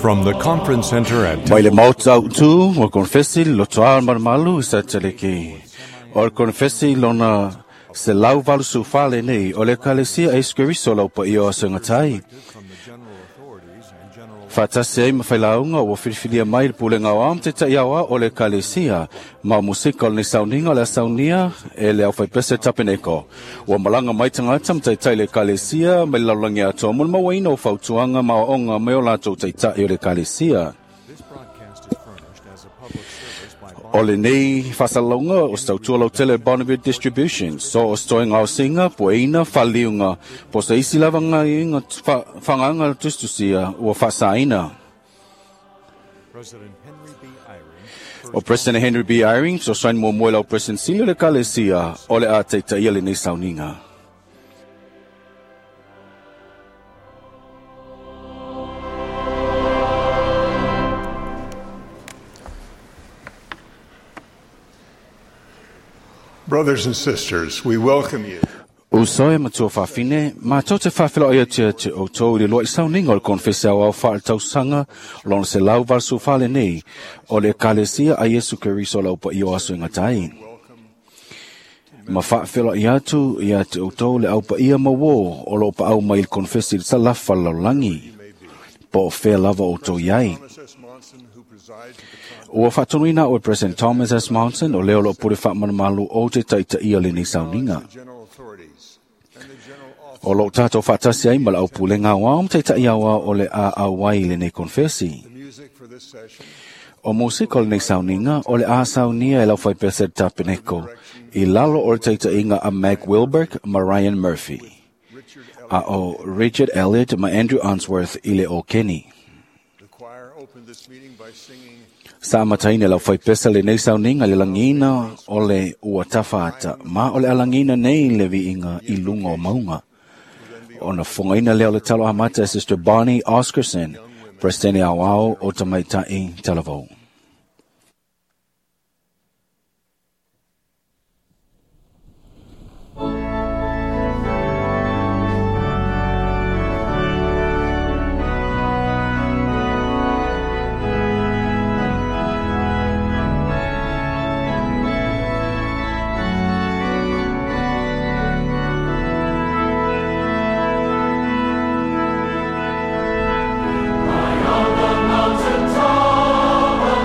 From the conference center at Mai le maota autu o konfesi lotoa malumalu i Sataleke. O le konfesi lona se lau valu sufale nei o le kalesia e skeriso lau pa ia o sengatai. from the general authorities and general Whātasi ai mawhailāunga ua whiriwhiria mai le pulenga o am te taiawa o le kalesia ma musika o le sauninga le saunia e le au whaipese tapeneko. Ua malanga mai tangata mtaitai le kalesia mai laulangi atoa mo le mauaina o fautuanga ma onga me o lātou taitai o le kalesia. This broadcast is furnished as a public service by O le nei whasalonga o stautua lau tele Bonneville Distribution, so o stoinga o singa, poeina, whaliunga, po se isi lava ngā inga whanganga tustusia ua whasaina. President Henry B. Eyring, O President Henry B. Eyring, so sain mo moe lau President Silio le kalesia, o le a teita ia le nei sauninga. Brothers and sisters, we welcome you Usoe matua whawhine, mātou te whawhila o ia te te o tō i le loa i sauninga o le konfese au au whaale tausanga, lona se lau valsu whale nei, o le kalesia a Yesu Keriso lau pa iyo aso inga tai. Ma whaawhila i atu ia te o tō le au pa ia mawō o lo pa au mai le konfesi le salafa laulangi, po o whea lava o tō iai. Thomas S. Monson, who presides at the conference. Ua whaatonuina o President Thomas S. Monson o leo lo pure whaamana o te taita ia le nei sauninga. the general authorities and the general office O lo tātou whaatasi ai ma lau pule ngā wā o te tai awa o le a au ai le nei konfesi. The music for this session O musika o le nei sauninga o le a saunia e lau whai pese tapeneko i lalo o le teita inga a Mac Wilberg ma Ryan Murphy. Richard A o Richard Elliott ma Andrew Unsworth i le o Kenny. The choir opened this meeting by singing Sa mataina lau whai pesa le nei sauninga le langina o le ua tawhata ma o le alangina nei le viinga i lunga o maunga. O na whangaina leo le talo amata e Sister Bonnie Oscarson, President Awao o Tamaitai Talavou. Mountain top,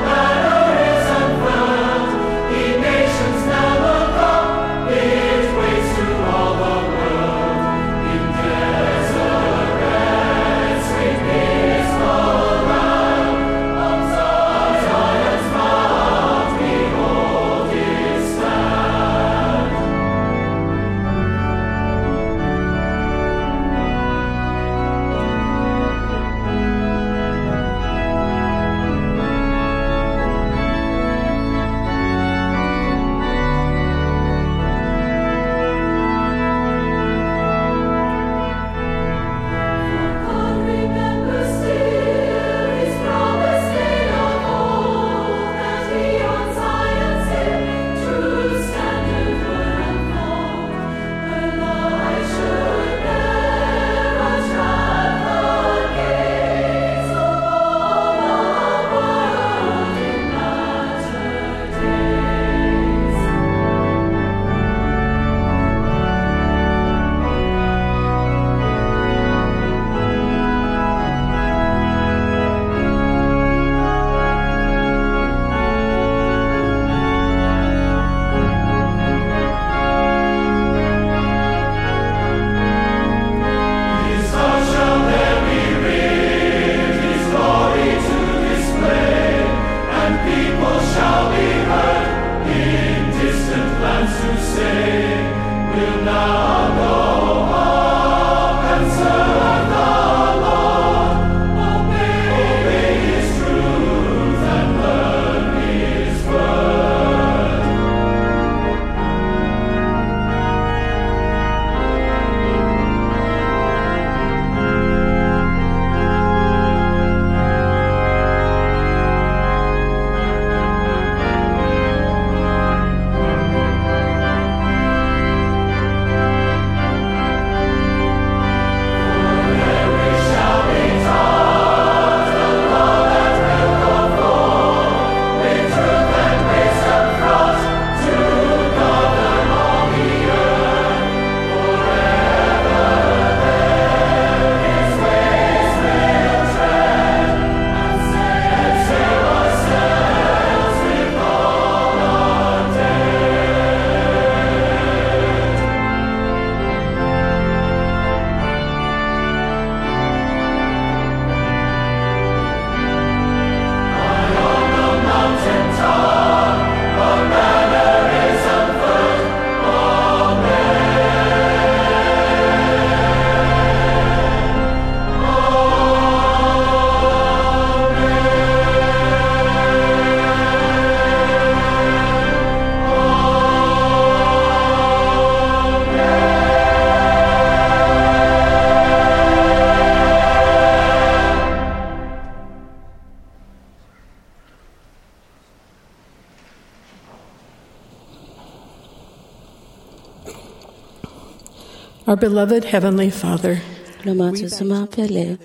Our beloved Heavenly Father, Lo mātou sa māpele,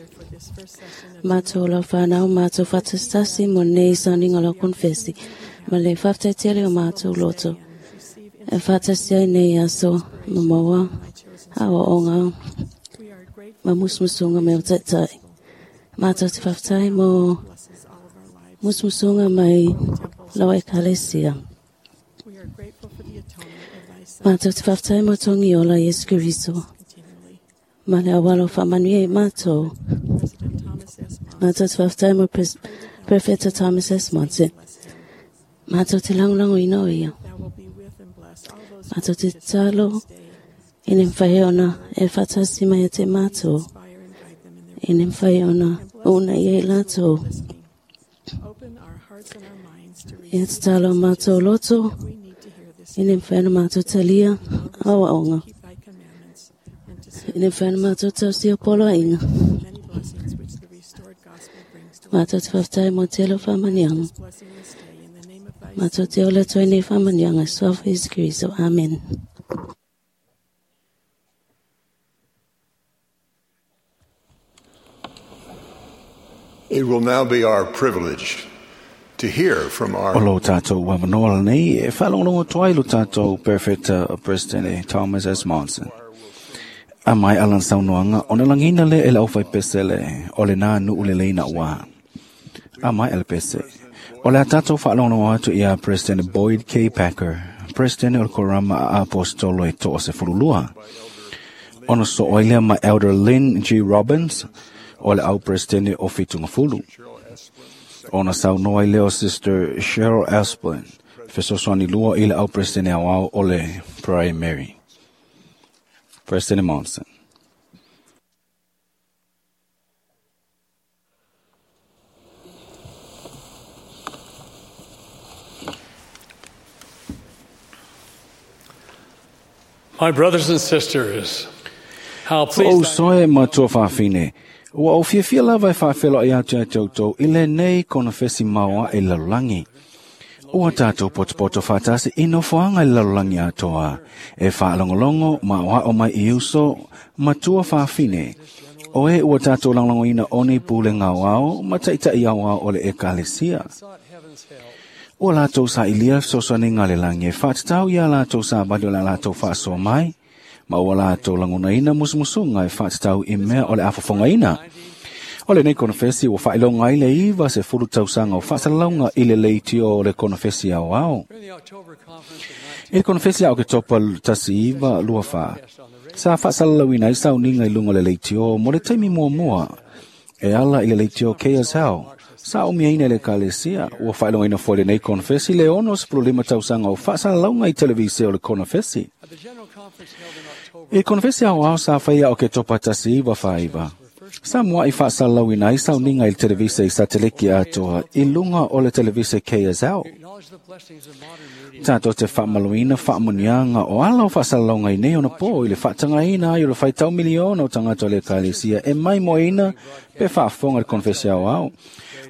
mātou lau whanau, mātou whatastasi mo nei sauninga lau konfesi, ma le whaftetele o mātou loto. E whatasi ai nei aso, mamawa, awa o ngā, ma musmusunga me o taitai. Mātou te whaftai mo musmusunga mai lau ekalesia. Mātou te whaftai mo tongi ola Yesu Kristo. Ma le awalo whamanui e mātou. Mātou te whaftai mo Prefeta Thomas S. Monson. Mātou te langolango ina o ia. Mātou te talo ine mwhaiona e whatasi mai e te mātou. Ine mwhaiona una ia i lātou. Ia te talo mātou loto. Ine mwhaiona mātou talia awa onga. Ine whana mātou tau si o polo inga. Mātou te whaftai mō te elo whamanianga. Mātou te ola toi nei whamanianga. Sofa Isu Kristo. Amen. It will now be our privilege to hear from our O lo tātou wamanoa nei, e whalongongo toa i lo tātou Perfect President Thomas S. Monson. A mai alan saunoanga, o na langina le e lau whai pese le, o le nā nuu le leina wā. A mai ele pese. O le a tātou whalongongo atu ia President Boyd K. Packer, President o le Korama a Apostolo e toa se furulua. Ono so oilea ma Elder Lynn G. Robbins, o le au President o Fitungafulu. Ona saunoa i leo Sister Cheryl Asplin, fesosoani lua i le au President au au o le Primary. President Monson. My brothers and sisters, how pleased O soe matua whawhine, ua o fiafia lava e whawhelo i atu e tautou i le nei kona fesi maua e lalulangi. Ua tātou potopoto whātasi i nofoanga i lalulangi atoa, e whaalongolongo ma oa o mai i uso matua whawhine. O e ua tātou langolongo ina oni pule ngau ao, ma taitai au ao o le ekalesia. Ua lātou sa ilia sosone ngā le langi e whātatau ia lātou sa bali o la lātou whaasoa mai, ma ua lātou langona ina musumusunga e whātatau i mea o le afafonga ina. O le nei konofesi ua whailonga i le iwa se fulu tausanga o whaasalaunga i le leitio o le konofesi au ao. I le konofesi au ke topa tasi iwa lua wha. Sa whaasalalauina i sauninga i lunga le leitio mo le taimi mua mua. E ala i le leitio KSL. Sa umia ina le kalesia, ua whailonga ina fo le nei konofesi le ono se lima tausanga o whaasalalaunga i televise o le konofesi. I le konofesi au ao sa whaia o ke topa tasi iwa whaiwa. Sa mua i whaasalauina i sauninga i le televise i sateliki atoa i lunga o le televise KSL. Tātou te whaamaluina whaamunianga o ala o whaasalaunga i nei ona pō i le whaatangaina ai o le whaitau miliona o tangata o le kalesia e mai moina pe whaafonga le konfesi au ao.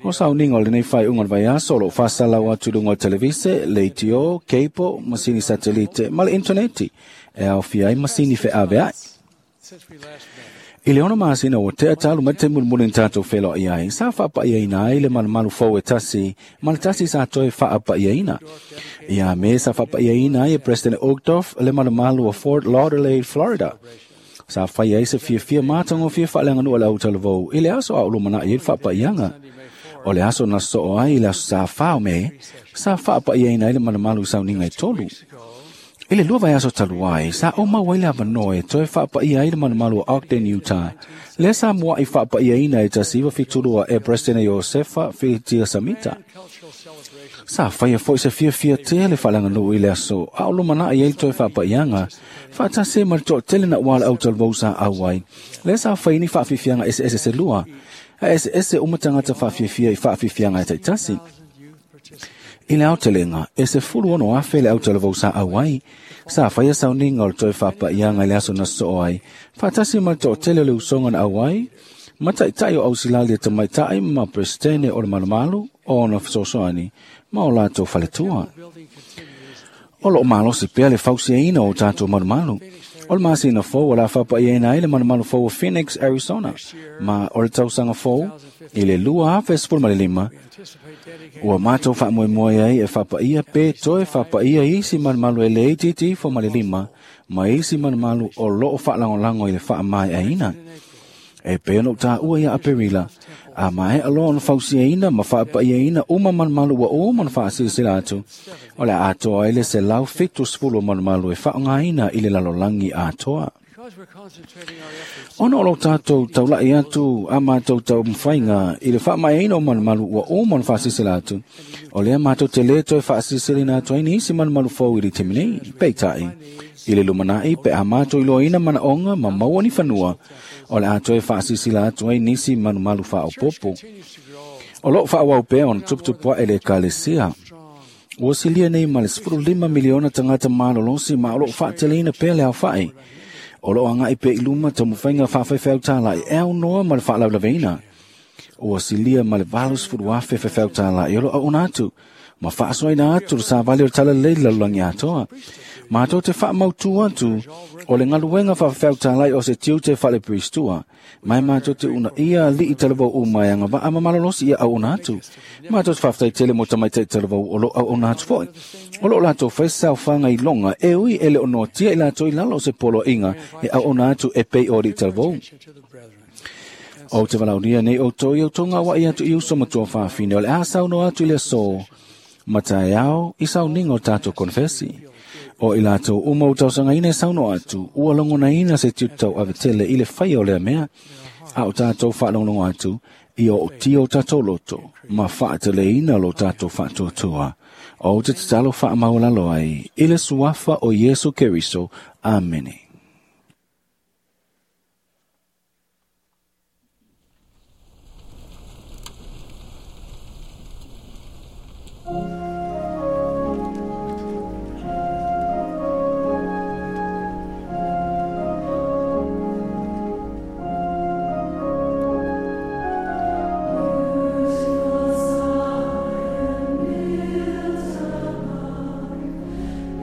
O sauninga o le nei whai unga le vaiaso o lo whaasalau atu lunga o televise, leitio, keipo, masini satelite, ma le interneti e au fiai masini wheawe ai. I le ona masina o te atalu mai te mulmuli tātou whelo i ai, sa whaapaia ina ai le malumalu fau e tasi, ma le tasi sa toe whaapaia ina. Ia me sa whaapaia ina ai e President Uchtdorf le malumalu o Fort Lauderdale, Florida. Sa whai ai se fia fia mātango fia whaaleanganua le autalavou, i le aso a ulumana i le whaapaianga. O le aso na so ai i le aso sa whao me, sa whaapaia ina ai le malumalu sauninga i tolu. I le lua vai aso taluai, sa o mau ai le awanoe, toe whaapaia ai le malumalu o Ogden, Utah. Le sa mua i whaapaia ina e tasiwa fitulua e President Josefa Fitia Samita. Sa whaia foi se fia fia te le whalanganuu i le aso, a o lumana i ei toe whaapaianga, whaatase ma le toatele na wala au talvau sa auai. Le sa whai ni whaafifianga ese ese se lua, a ese ese umatangata whaafiafia i whaafifianga e taitasi. I le aotelenga, e se fulu ono afe le aotalavou sa auai, sa whaia sauninga o le toe whapaianga i le aso na so ai, whaatasi ma le toatele o le usonga na auai, ma taitai o ausilali e tamaitai ma presidente o le malumalu o ona fesoasoani ma o latou faletua. O loo malosi pea le fausiaina o tātou malumalu. O le masina fou o le a fa'apa'ia ai le malumalu fou o Phoenix, Arizona, ma o le tausaga fou i le 2015, ua matou fa'amoemoe ai e fa'apa'ia pe toe fa'apa'ia isi malumalu e lē itiiti ifo ma le 5 ma isi malumalu o lo'o fa'alagolago i le fa'amae'aina. E pei ona ou tāua ia Aperila, a mae'a loa ona fausiaina ma fa'apa'iaina uma malumalu ua uma ona fa'asilasila atu, o le a atoa ai le 170 o malumalu e fa'aaogāina i le lalolagi atoa. Ona o lo tātou taula'i atu a mātou taumafaiga i le fa'amaeaina o malumalu ua uma ona fa'asilasila atu, o lea matou te lē toe fa'asilasiliina atu ai nisi malumalu fou i le taimi nei. Peita'i, i le lumana'i pe a matou iloaina mana'oga ma maua ni fanua, o le a toe fa'asilasila atu ai nisi malumalu fa'aopopo. O lo'o fa'aauau pea ona tuputupu a'e le ekalesia. Ua silia nei ma le 15 miliona tagata malolosi ma o lo'o fa'ateleina pea le aofa'i. O lo'o aga'i pea i luma taumafaiga fa'afaifeau tāla'i e aunoa ma le fa'alaulaveina. Ua silia ma le 80,000 faifeau tāla'i o lo'o au'una atu, ma fa'asoaina atu le savali o le talalelei i le lalolagi atoa. Matou te fa'amautū atu o le galuega fa'afefeau tāla'i o se tiute fa'aleperistua, ma e matou te u'unaʻia ali'i talavou uma e agava'a ma malolosi ia au'una atu. Matou te fa'afetai tele mo tamaita'i talavou o lo'o au'auna atu fo'i. O lo'o latou fai saofaga iloga e ui e le o noatia i latou i lalo o se poloa'iga e au'auna atu e pei o ali'i talavou. Ou te valaulia nei outou i outou gaua'i atu i uso matua fafine o le a saunoa atu i le asō ma taeao i sauniga o tatou konefesi. O i latou uma ua tausagaina e saunoa atu, ua logonaina se tiute tauavetele i le faia o lea mea, a o tatou fa'alogologo atu ia o'otia o tatou loto ma fa'ateleina lo tatou fa'atuatua. Ou te tatalo fa'amaualalo ai i le suafa o Iesu Keriso. Amene.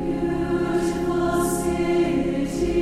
Beautiful city.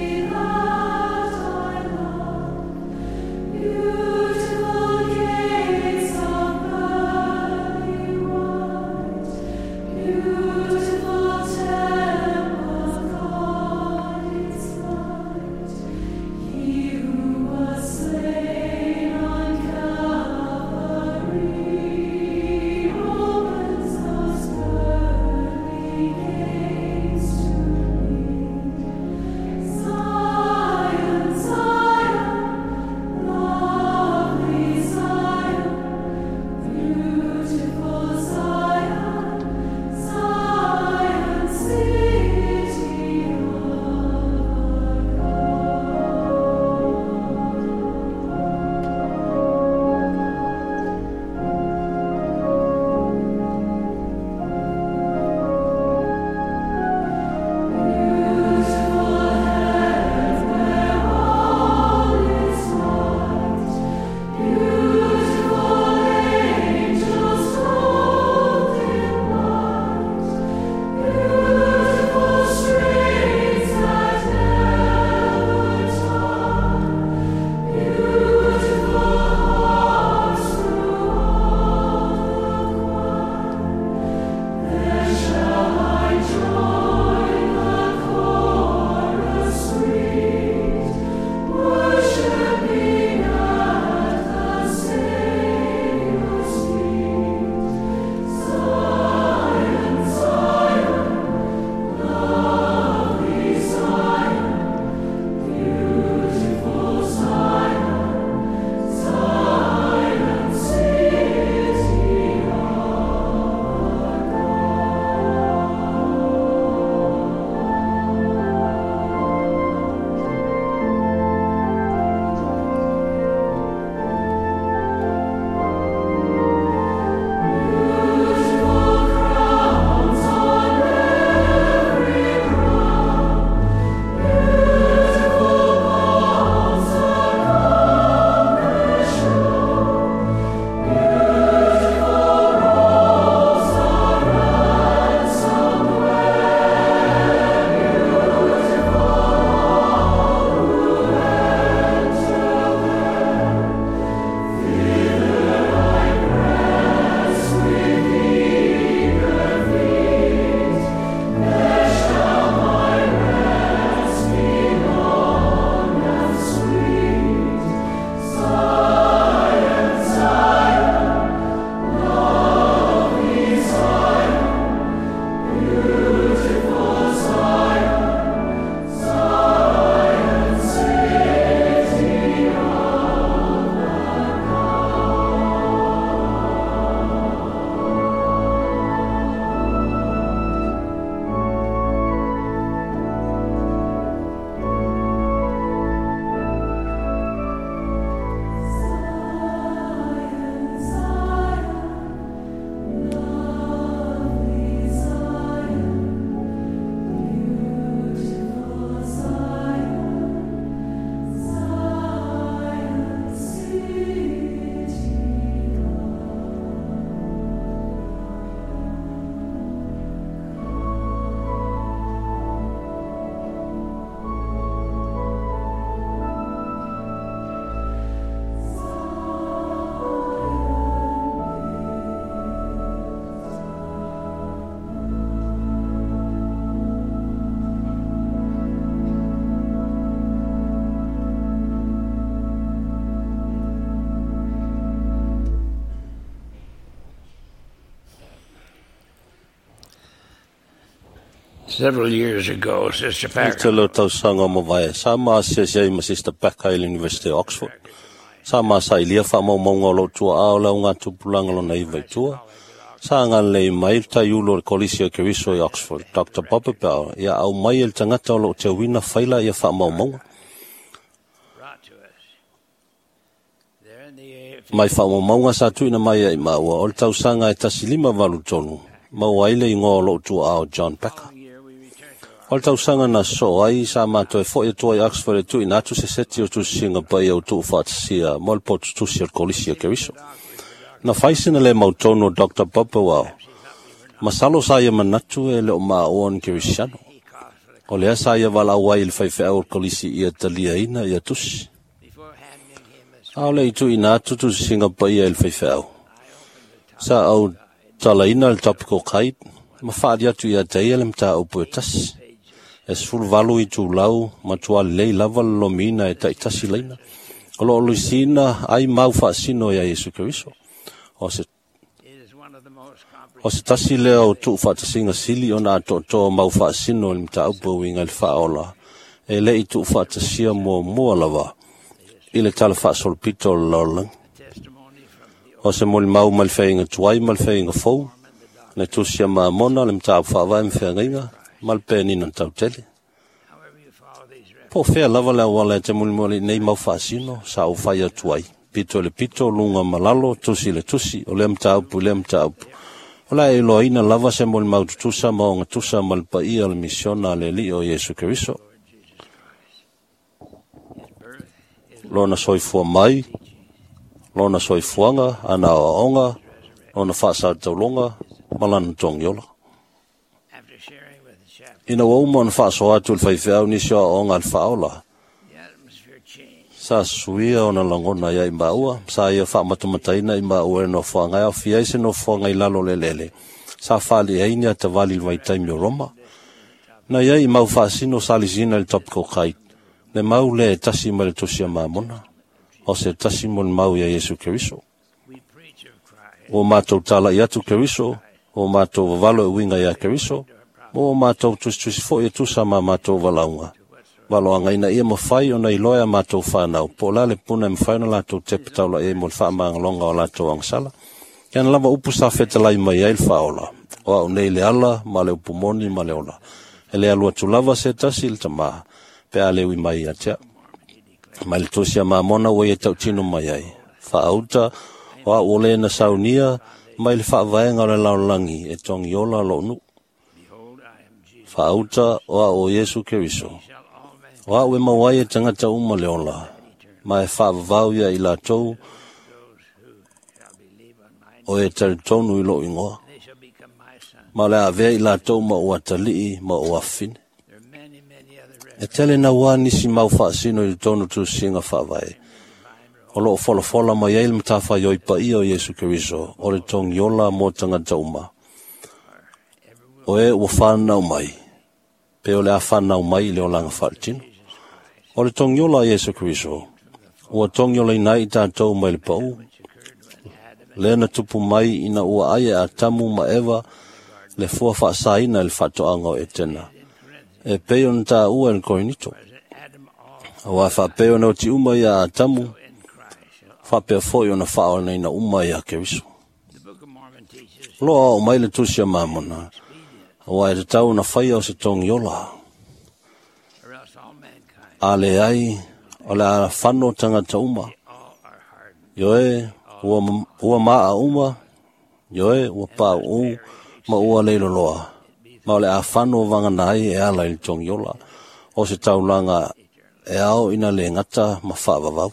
Several years ago, Sister I Packer te leo tausaga o mavae, sa ma asiasi ai ma Sister Packer i le University of Oxford. Sa ma sailia faamaumauga o lou tuaa o le augatupulaga lona iva i tua. Sa agalelei mai le taiulu o le Kolisi o Keriso i Oxford, Dr. Bob Bell, ia au mai e le tagata o loo teuina faila ia faamaumauga. brought to us. There in the Mai faamaumauga sa tuuina mai ai maua o le tausaga e 1583, maua ai le igoa o lou tuaa o John Packer. year we returned to O le tausaga na sosoo ai sa matou e fo'i atu ai Oxford e tuuina atu se seti o tusisiga paia o tuufaatasia mo le potutusi o le Kolisi o Keriso. Na fai sina le mautonu o Dr. Bob Bell. Masalo sa ia manatu e le o maua ni Kerisiano. O lea sa ia valaau ai i le faifeau o le Kolisi ia taliaina ia tusi. before handing him a A o le i tuuina atu tusisiga paia i le faifeau. Sa au talaina le topical guide, ma faali atu ia te ia le mataupu e tasi. E 18 itulau, matua lelei lava le lomiina e taitasi laina. O loo luisiina ai mau faasino ia Iesu Keriso. O se It is one of the most O se tasi lea o tuufaatasiga sili ona atoatoa mau faasino i le mataupu e uiga i le faaola, e le i tuufaatasia muamua lava i le tala faasolopito o le lalolagi. testimony from the O se molimau ma le feaiga tuai ma le feaiga fou, le tusi a Mamona, le mataupu faavae ma feagaiga, ma le penina tautele. however you follow these references. Po o fea lava le auala e te mulimuli i nei mau faasino, sa ou fai atu ai. Pito i le pito, luga ma lalo, tusi i le tusi, o lea mataupu i lea mataupu. O le a e iloaina lava se molimau tutusa ma ogatusa ma le paia o le misiona a le Alii o Iesu Keriso. Lona soifua mai, lona soifuaga, ana aoaoga, lona faasautauloga, ma lana togiola. After sharing with the chaplain, Ina ua uma ona faasoa atu i le faifeau nisi o aoaoga a le faaola, the atmosphere changed. sa suia ona lagona ia i maua, sa ia faamatamataina i maua e nofoaga e aofia ai se nofoaga i lalo o le eleele, sa faali'i ai ni atavali i le vaitaimi o Roma. Na iai i mau faasino sa lisina i le topical guide, le mau lea e tasi mai le tusi a Mamona, o se tasi mo le mau ia Iesu Keriso. We preach of Christ, Ua matou tala'i atu Keriso, ua matou vavalo e uiga ia Keriso, ma ua matou tusitusi foi e tusa ma matou valaauga. Valoaga ina ia mafai ona iloa e a matou fanau, po o le a le puna e mafai ona latou tepa taula'i ai mo le faamagaloga o latou agasala. Ia na lava upu sa fetalai mai ai le faaola, o au nei le ala ma le upu moni ma le ola. E le alu atu lava se tasi i le tamā, pe a le ui mai ia te au. Mai le tusi a Mamona ua ia tautino mai ai. Faauta, o au o le na saunia, mai le faavaega o le lalolagi e togiola lou nuu. behold, I am Jesus. Faauta, o au o Iesu Keriso. Shall all men O au e maua ai e tagata uma le ola, ma e faavavau ia i latou those who shall believe on my o e talitonu i lou igoa. they shall become my sons. Ma o le a avea i latou ma ou atalii ma ou afafine. There are many, many other E references tele nauā nisi mau faasino i totonu tusisiga faavae. O loo folafola mai ai le matafaioi paia o Iesu Keriso, o le togiola mo tagata uma. O e ua fanau mai, pe o le a fanau mai i le olaga faaletino. O le togiola a Iesu Keriso, ua togiolaina ai i tatou mai le pau, lea na tupu mai ina ua ai e Atamu ma Eva le fua faasaina i le faatoaga o Etena. E pei ona taua e le Korinito. Adam all Auā faapea ona oti uma ia Atamu, in Christ. shall- faapea foi ona faaolaina uma ia Keriso. The Book of Mormon teaches O loo aoao mai le tusi a Mamona, auā e tatau ona faia o se togiola. or else all mankind, A leai, o le a fano tagata uma. all are hardened. Ioe, ua maa uma, ioe, ua pauu, ma ua leiloloa. Ma o le a fano vagana ai e ala i le togiola, o se taulaga e ao ina le gata ma faavavau.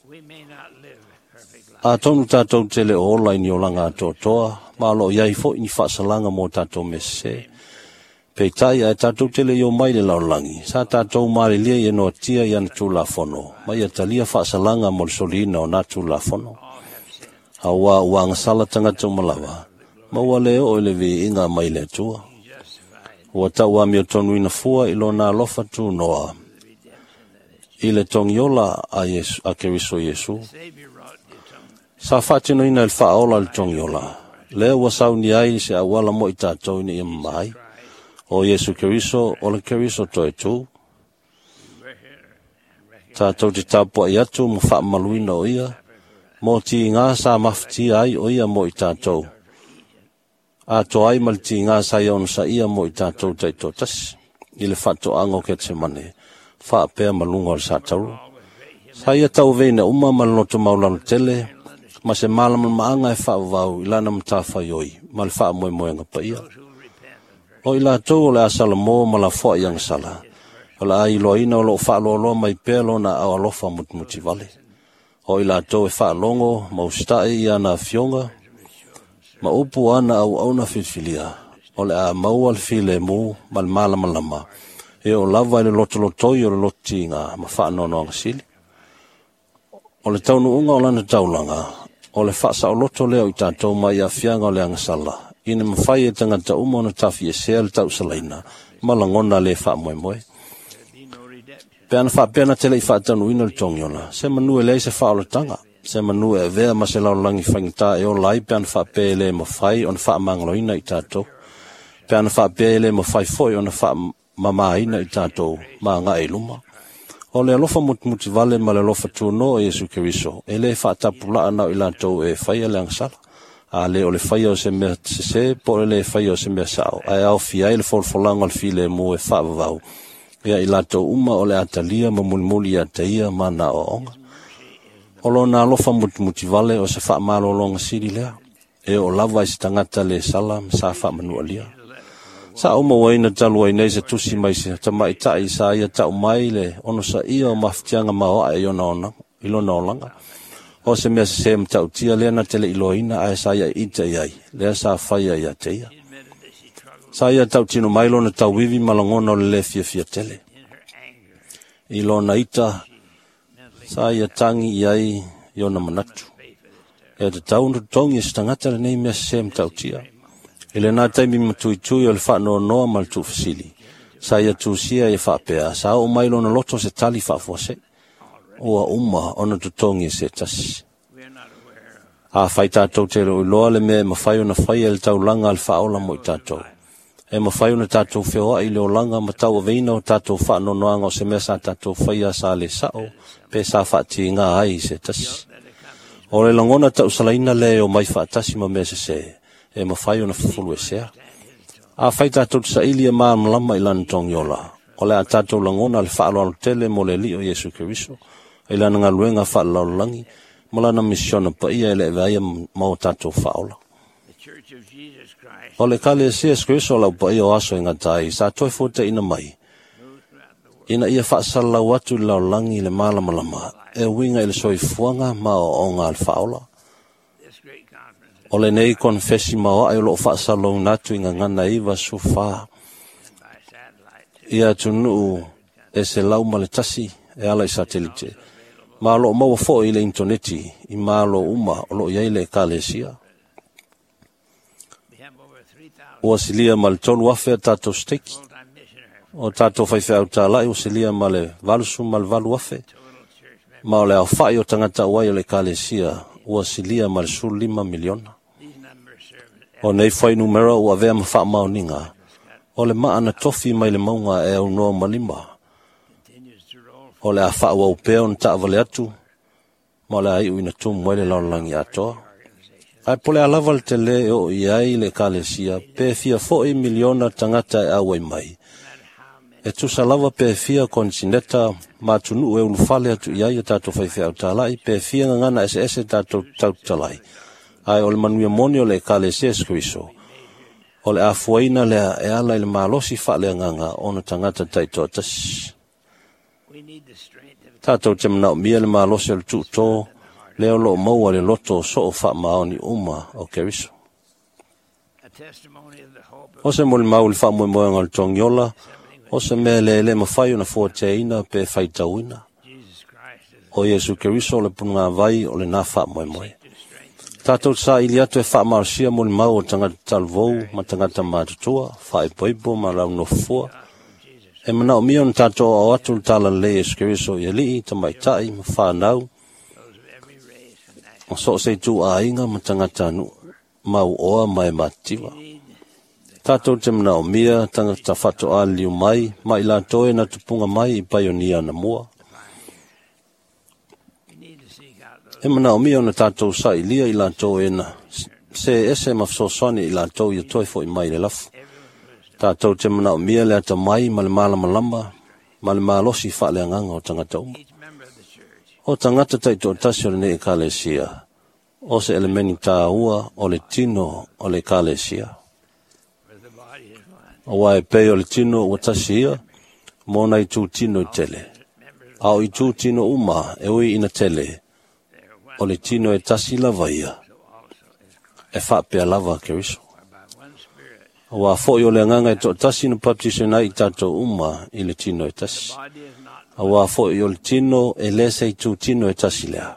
We may not live perfect lives, Atonu tatou te le o ola i ni olaga atoatoa, ma o loo iai foi ni faasalaga mo tatou mea sesē. Peitai ae tatou te le i omai i le lalolagi, sa tatou malilie ia noatia i ana tulafono, ma ia talia faasalaga mo le soliina o na tulafono. all have sinned. Auā ua agasala tagata uma lava, ma ua le oo i le viiga mai le Atua. Justified Ua tauamiotonuina fua i lona alofa tunoa, i le togiola a, Iesu, a Keriso Iesu. Savior wrought the atonement. Sa faatinoina i le faaola le togiola, lea ua sauni ai se auala mo i tatou ina ia mama ai. O Iesu Keriso o le Keriso toe tu. Tātou te tapuai atu ma faamaluina o ia, mo tiga sa mafatia ai o ia mo i tātou. Atoa ai ma le tiga sa ia onosaia mo i tātou taitoatasi, i le faatoaga o Ketsemane, faapea ma luga o le satauro. Sa ia tauaveina uma ma le loto maulalo tele, ma se malamalamaaga e faavavau i lana matafaioi ma le faamoemoega paia. O i latou o le a salamo ma lafoai i agasala, o le a iloaina o loo faaloaloa mai pea lona aao alofa mutimutivale. O i latou e faalogo ma usitai i ana afioga ma upu o ana auauna filifilia, o le a maua le filemu ma le malamalama, e oo lava i le lotolotoi o le lototiga ma faanoanoaga sili. O le taunuuga o lana taulaga, o le faasaoloto lea o i tatou mai aafiaga o le agasala, ina mafai e tagata uma ona tafiesea le tausalaina ma lagona le faamoemoe. Pe ana faapea na te le i faataunuuina le togiola, se manu e leai se faaolataga, se manu e avea ma se lalolagi faigata e ola ai pe ana faapea e le mafai ona faamagaloina i tatou, pe ana faapea e le mafai foi ona faamamaina i tatou ma agai i luma. O le alofa mutimutivale ma le alofa tunoa o Iesu Keriso, e le faatapulaa na o i latou e faia le agasala. A le o le faia o se mea sese po o le le faia o se mea sao, ae aofia ai le folafolaga o le filemu e faavavau, ia i latou uma o le atalia ma mulimuli ia te ia ma na aoaoga. O lona alofa mutimutivale o se faamalologa sili lea, e oo lava i se tagata le sala ma sa faamanualia. Sa ou mauaina talu ai nei se tusi mai se tamaitai sa ia tau mai le onosaia o mafatiaga maoae i lona olaga. O se mea sese matautia lea na te le iloaina ae sa ia ita i ai, lea sa faia ia te ia. Sa ia tautino mai lona tauivi ma lagona o le le fiafia tele. I lona ita, sa ia tangi i ai i ona manatu. E tatau ona totogi e se tagata lenei mea sese matautia. I lena taimi matuitui o le faanoanoa ma le tuufesili, sa ia tusia ia faapea, sa oo mai lona loto se tali faafuasei. Ua uma ona totogi e se tasi. Afai tātou te le o iloa le mea e mafai ona faia i le taulaga a le faaola mo i tātou. E mafai ona tātou feoai i le olaga ma tauaveina o tātou faanoanoaga o se mea sa tātou faia sa le sao, pe sa faatiga ai i se tasi. O le lagona tausalaina lea e omai faatasi ma mea sese, e mafai ona fufuluesea. Afai tātou te saili e malamalama i lana togiola, o le a tātou lagona le faaaloalo tele mo le Alii o Iesu Keriso, i lana galuega faalelalolagi, ma lana misiona paia e le avea ia ma o tātou faaola. O le Ekalesia Iesu Keriso o lau paia o aso e gata ai, sa toe fuataina mai, ina ia faasalalau atu i le lalolagi i le malamalama, e uiga i le soifuaga ma aoaoga a le faaola. O lenei konefesi maoae o loo faasalalauina atu i Gagana 94, ia atunuu e 101 e ala i satelite, ma o loo maua foi i le intaneti i malo uma o loo i ai le Ekalesia. Ua silia ma le 3,000 a tātou steiki. O tātou faifeau tālai ua silia ma le 88,000. Ma o le aofai o tagata auai o le Ekalesia ua silia ma le 15 miliona. O nei fuainumera ua avea ma faamaoniga, o le maa na tofi mai le mauga e aunoa ma lima. O le a faaauau pea ona taavale atu, ma o le a iu ina tumu ai le lalolagi atoa. Ae po o le a lava le tele e oo i ai le Ekalesia, pe fia foi miliona tagata e auai mai. E tusa lava pe fia konesineta ma atunuu e ulufale atu i ai o tātou faifeau tālai, pe fia gagana eseese tātou tautalai. Ae o le manuia moni o le Ekalesia Iesu Keriso, o le afuaina lea e ala i le malosi faaleagaga ona tagata taitoatasi. Tātou te manaomia le malosi o le tuutō, lea o loo maua le loto o soo faamaoni uma o Keriso. O se molimau i le faamoemoega o le togiola, o se mea e le mafai ona fuateaina pe faitauina. O Iesu Keriso o le punugāvai o lena faamoemoe. Tātou te saili atu e faamalosia molimau o tagata talavou ma tagata matutua, faaipoipo ma launofua. E manaomia ona tātou aoao atu le talalelei Iesu Keriso i alii, tamaitai ma whanau, o so o se itu aiga ma tagata nuu, mau oa ma e matitiva. Tātou te manaomia tagata faatoā liliu mai ma i latou e na tupuga mai i paionia anamua. E manaomia ona tatou saʻilia i latou e na se ese ma fesoasoani i latou ia toe foʻi mai le lafu. Tatou te manaomia le atamai ma le malamalama ma le malosi faaleagaga o tagata uma. O tagata taitoatasi o lenei Ekalesia, o se elemeni tāua o le tino o le Ekalesia. Auā e pei o le tino ua tasi ia, mo nai itu tino i tele. A o itu tino uma e ui ina tele, o le tino e tasi lava ia, e faapea lava Keriso. Auā foʻi o le Agaga e toatasi na baptisoina ai i tatou uma i le tino e tasi. Auā foʻi o le tino e lē se itu tino e tasi lea,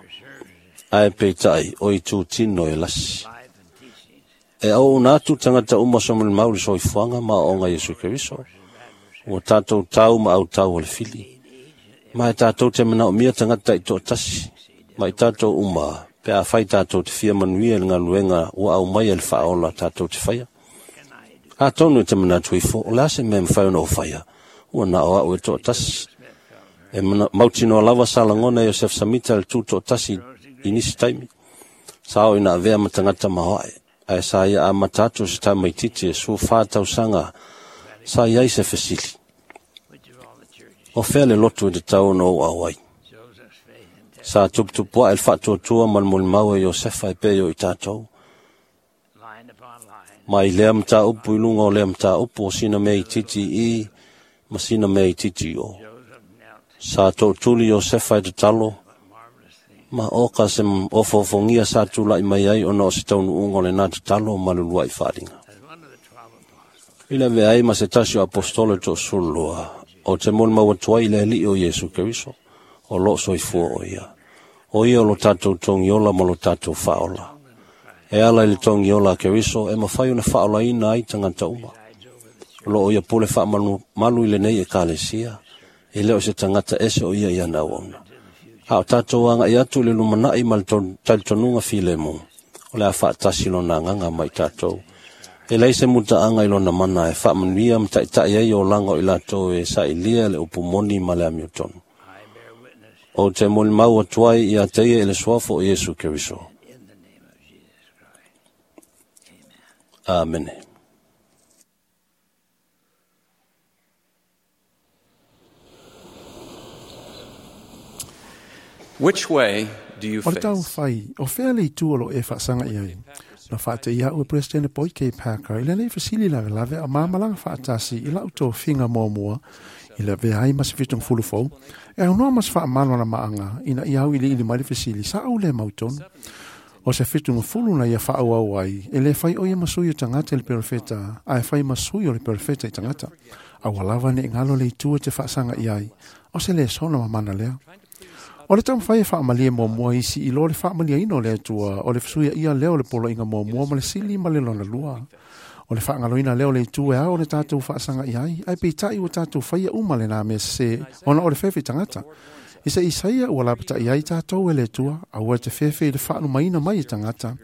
ae peitai o itu tino e lasi. E auauna atu tagata uma somalimau i le soifuaga ma aoaoga a Iesu Keriso, ua tatou tau ma autau o le fili. Ma e tatou te manaomia tagata taitoatasi ma i tatou uma pe afai tatou te fia manuia i le galuega ua aumaia e le Faaola tatou te faia. Atonu e te manatu ifo, o le a se mea e mafai ona ou faia, ua na o au e toatasi. E mautinoa lava sa lagona e Iosefa Samita le tutoatasi i nisi taimi. Sa oo ina avea ma tagata maoae, ae sa ia amata atu o se tamaitiiti e 14 tausaga sa i ai se fesili. O fea le lotu e tatau ona ou auai? Sa tuputupuaʻe le faatuatua ma le molimau e Iosefa e pei o i tatou. Mai lea mataupu i luga o lea mataupu o sina mea itiiti i i ma sina mea itiiti i o. Sa tootuli Iosefa e tatalo, ma oka se ofoofogia sa tulaʻi mai ai ona o se taunuuga o lenā tatalo ma le uluaʻi faaaliga. I le avea ai ma se tasi o aposetolo e toasefululua, ou te molimau atu ai i le Alii o Iesu Keriso, o loo soifua o ia. O ia o lo tatou togiola ma lo tatou faaola. E ala i le togiola a Keriso e mafai ona faaolaina ai tagata uma. O loo ia pule faamalumalu i lenei Ekalesia, e le o se tagata ese o ia i ana auauna. A o tatou agaʻi atu i le lumanai ma le talitonuga filemu, o le a faatasi lona agaga ma i tatou. E leai se mutaaga i lona mana e faamanuia ma taʻitaʻi ai olaga o i latou e saʻilia le upu moni ma le amiotonu. Ou te molimau atu ai ia te ia i le suafa o Iesu Keriso. Amene. Which way do you O le face? taumafai, o fea le itu o lo o e faasaga i ai? Na faateia a'u e Peresetene Boyd K. Packer i lenei fesili lavelave a ma malaga faatasi i la'u tofiga muamua i le avea ai ma se fitugafulu fou, e aunoa ma se faamaloalamaaga ina ia auiliili mai le fesili sa ou lē mautonu. O se fitugafulu na ia faaauau ai, e lē fai o ia ma sui o tagata i le perofeta, ae fai ma sui o le perofeta i tagata. Aua lava neʻi galo le itu e te faasaga i ai, o se lesona mamana lea. O le taumafai e faamalie muamua isi i lo le faamalieina o le Atua, o le fesuiaia lea o le poloaiga muamua ma le sili ma le lona lua. O le faagaloina lea o le itu e ao ona tatou faasaga i ai, ae peitai ua tatou faia uma lenā mea sesē ona o le fefe tagata. I se Isaia ua lapatai ai tatou e le Atua, aua e te fefe i le faalumaina mai e tagata.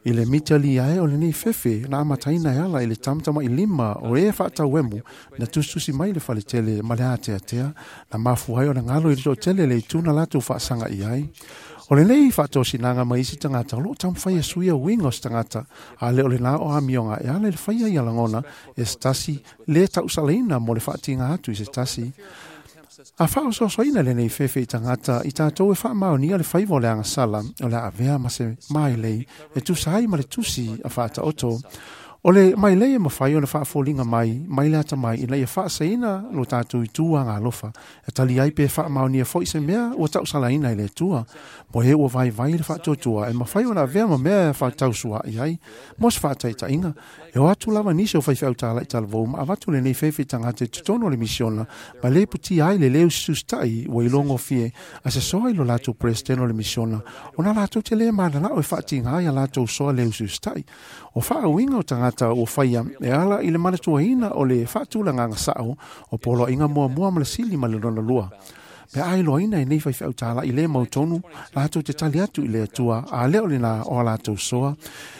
I le mitalia ai o lenei fefe na amataina e ala i le tamatamailima o e faatauemu na tusitusi mai le faletele ma le ateatea, na mafua ai ona galo i le toatele le itu na latou faasaga i ai. O lenei faatosinaga mai isi tagata o loo taumafai e suia uiga o se tagata, a le o lenā o amioga e ala i le faia ia lagona e se tasi lē tausalaina mo le faatiga atu i se tasi. A faaosoasoaina lenei fefe i tagata i tatou e faamaonia le faiva o le agasala o le a avea ma se mailei e tusa ai ma le tusi a Faataoto. O le mailei e mafai ona faafoliga mai mai le atamai ina ia faasaina lo tatou itu agalofa e tali ai pe faamaonia foi se mea ua tausalaina i le Atua. Mo e ua vaivai le faatuatua e mafai ona avea ma mea e faatausuaʻi ai. Mo se faataitaiga, e o atu lava nisi o faifeau tālaʻi talavou ma avatu lenei fefe i tagata i totonu o le misiona ma lē putia ai le lē usitusitaʻi ua ilogofie a se soa i lo latou peresetene o le misiona ona latou te lē mananao e faatiga ai a latou soa lē usiusitaʻi. O faauiga o tagata ua faia e ala i le manatuaina o le faatulagaga sao o poloaiga muamua ma le sili ma le lona lua. Pe a iloaina e nei faifeau tāla'i lē mautonu latou te tali atu i le Atua a lea o lenā o a latou soa.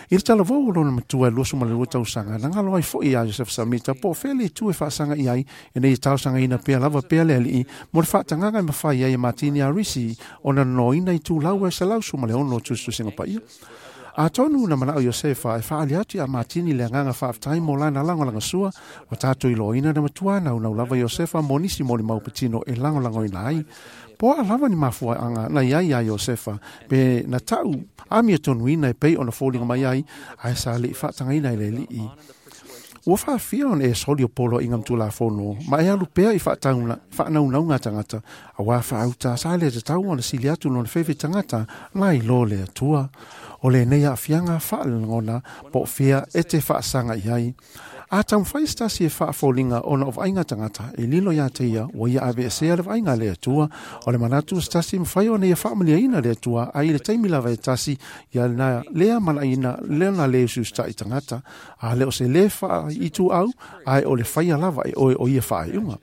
I le talavou o lona matua e 22 tausaga, na galo ai fo'i iā Iosefa Samita po o fea le itu e faasaga i ai ina ia talosagaina pea lava pea le alii mo le faatagaga e mafai ai e Matini Arisi ona nonoina i tulau e 116 tusitusiga paia. Atonu na manao Iosefa e faaali atu iā Matini le agaga faafetai mo lana lagolagasua, ua tatou iloaina na matua naunau lava Iosefa mo nisi molimau patino e lagolagoina ai. Po o a lava ni mafuaaga na i ai iā Iosefa, pe na ta'u amiatonuina e pei ona foliga mai ai, ae sa le'i faatagaina e le Alii. Ua faafia ona e soli o poloaiga ma tulafono, ma e alu pea i faanaunauga a tagata, auā faauta sa le tatau ona sili atu lona fefe tagata nai lo le Atua. O lenei aafiaga faalegona po o fea e te faasaga i ai. A taumafai se tasi e faafoliga ona o vaaiga tagata, e lilo iā te ia ua ia aveesea le vaaiga a le Atua. O le manatu o se tasi e mafai ona ia faamaliaina le Atua, ae i le taimi lava e tasi ia na lea manaina lona lē usiusita'i tagata. A le o se lē faaituau, ae o le faia lava e oe o ia faaiuga.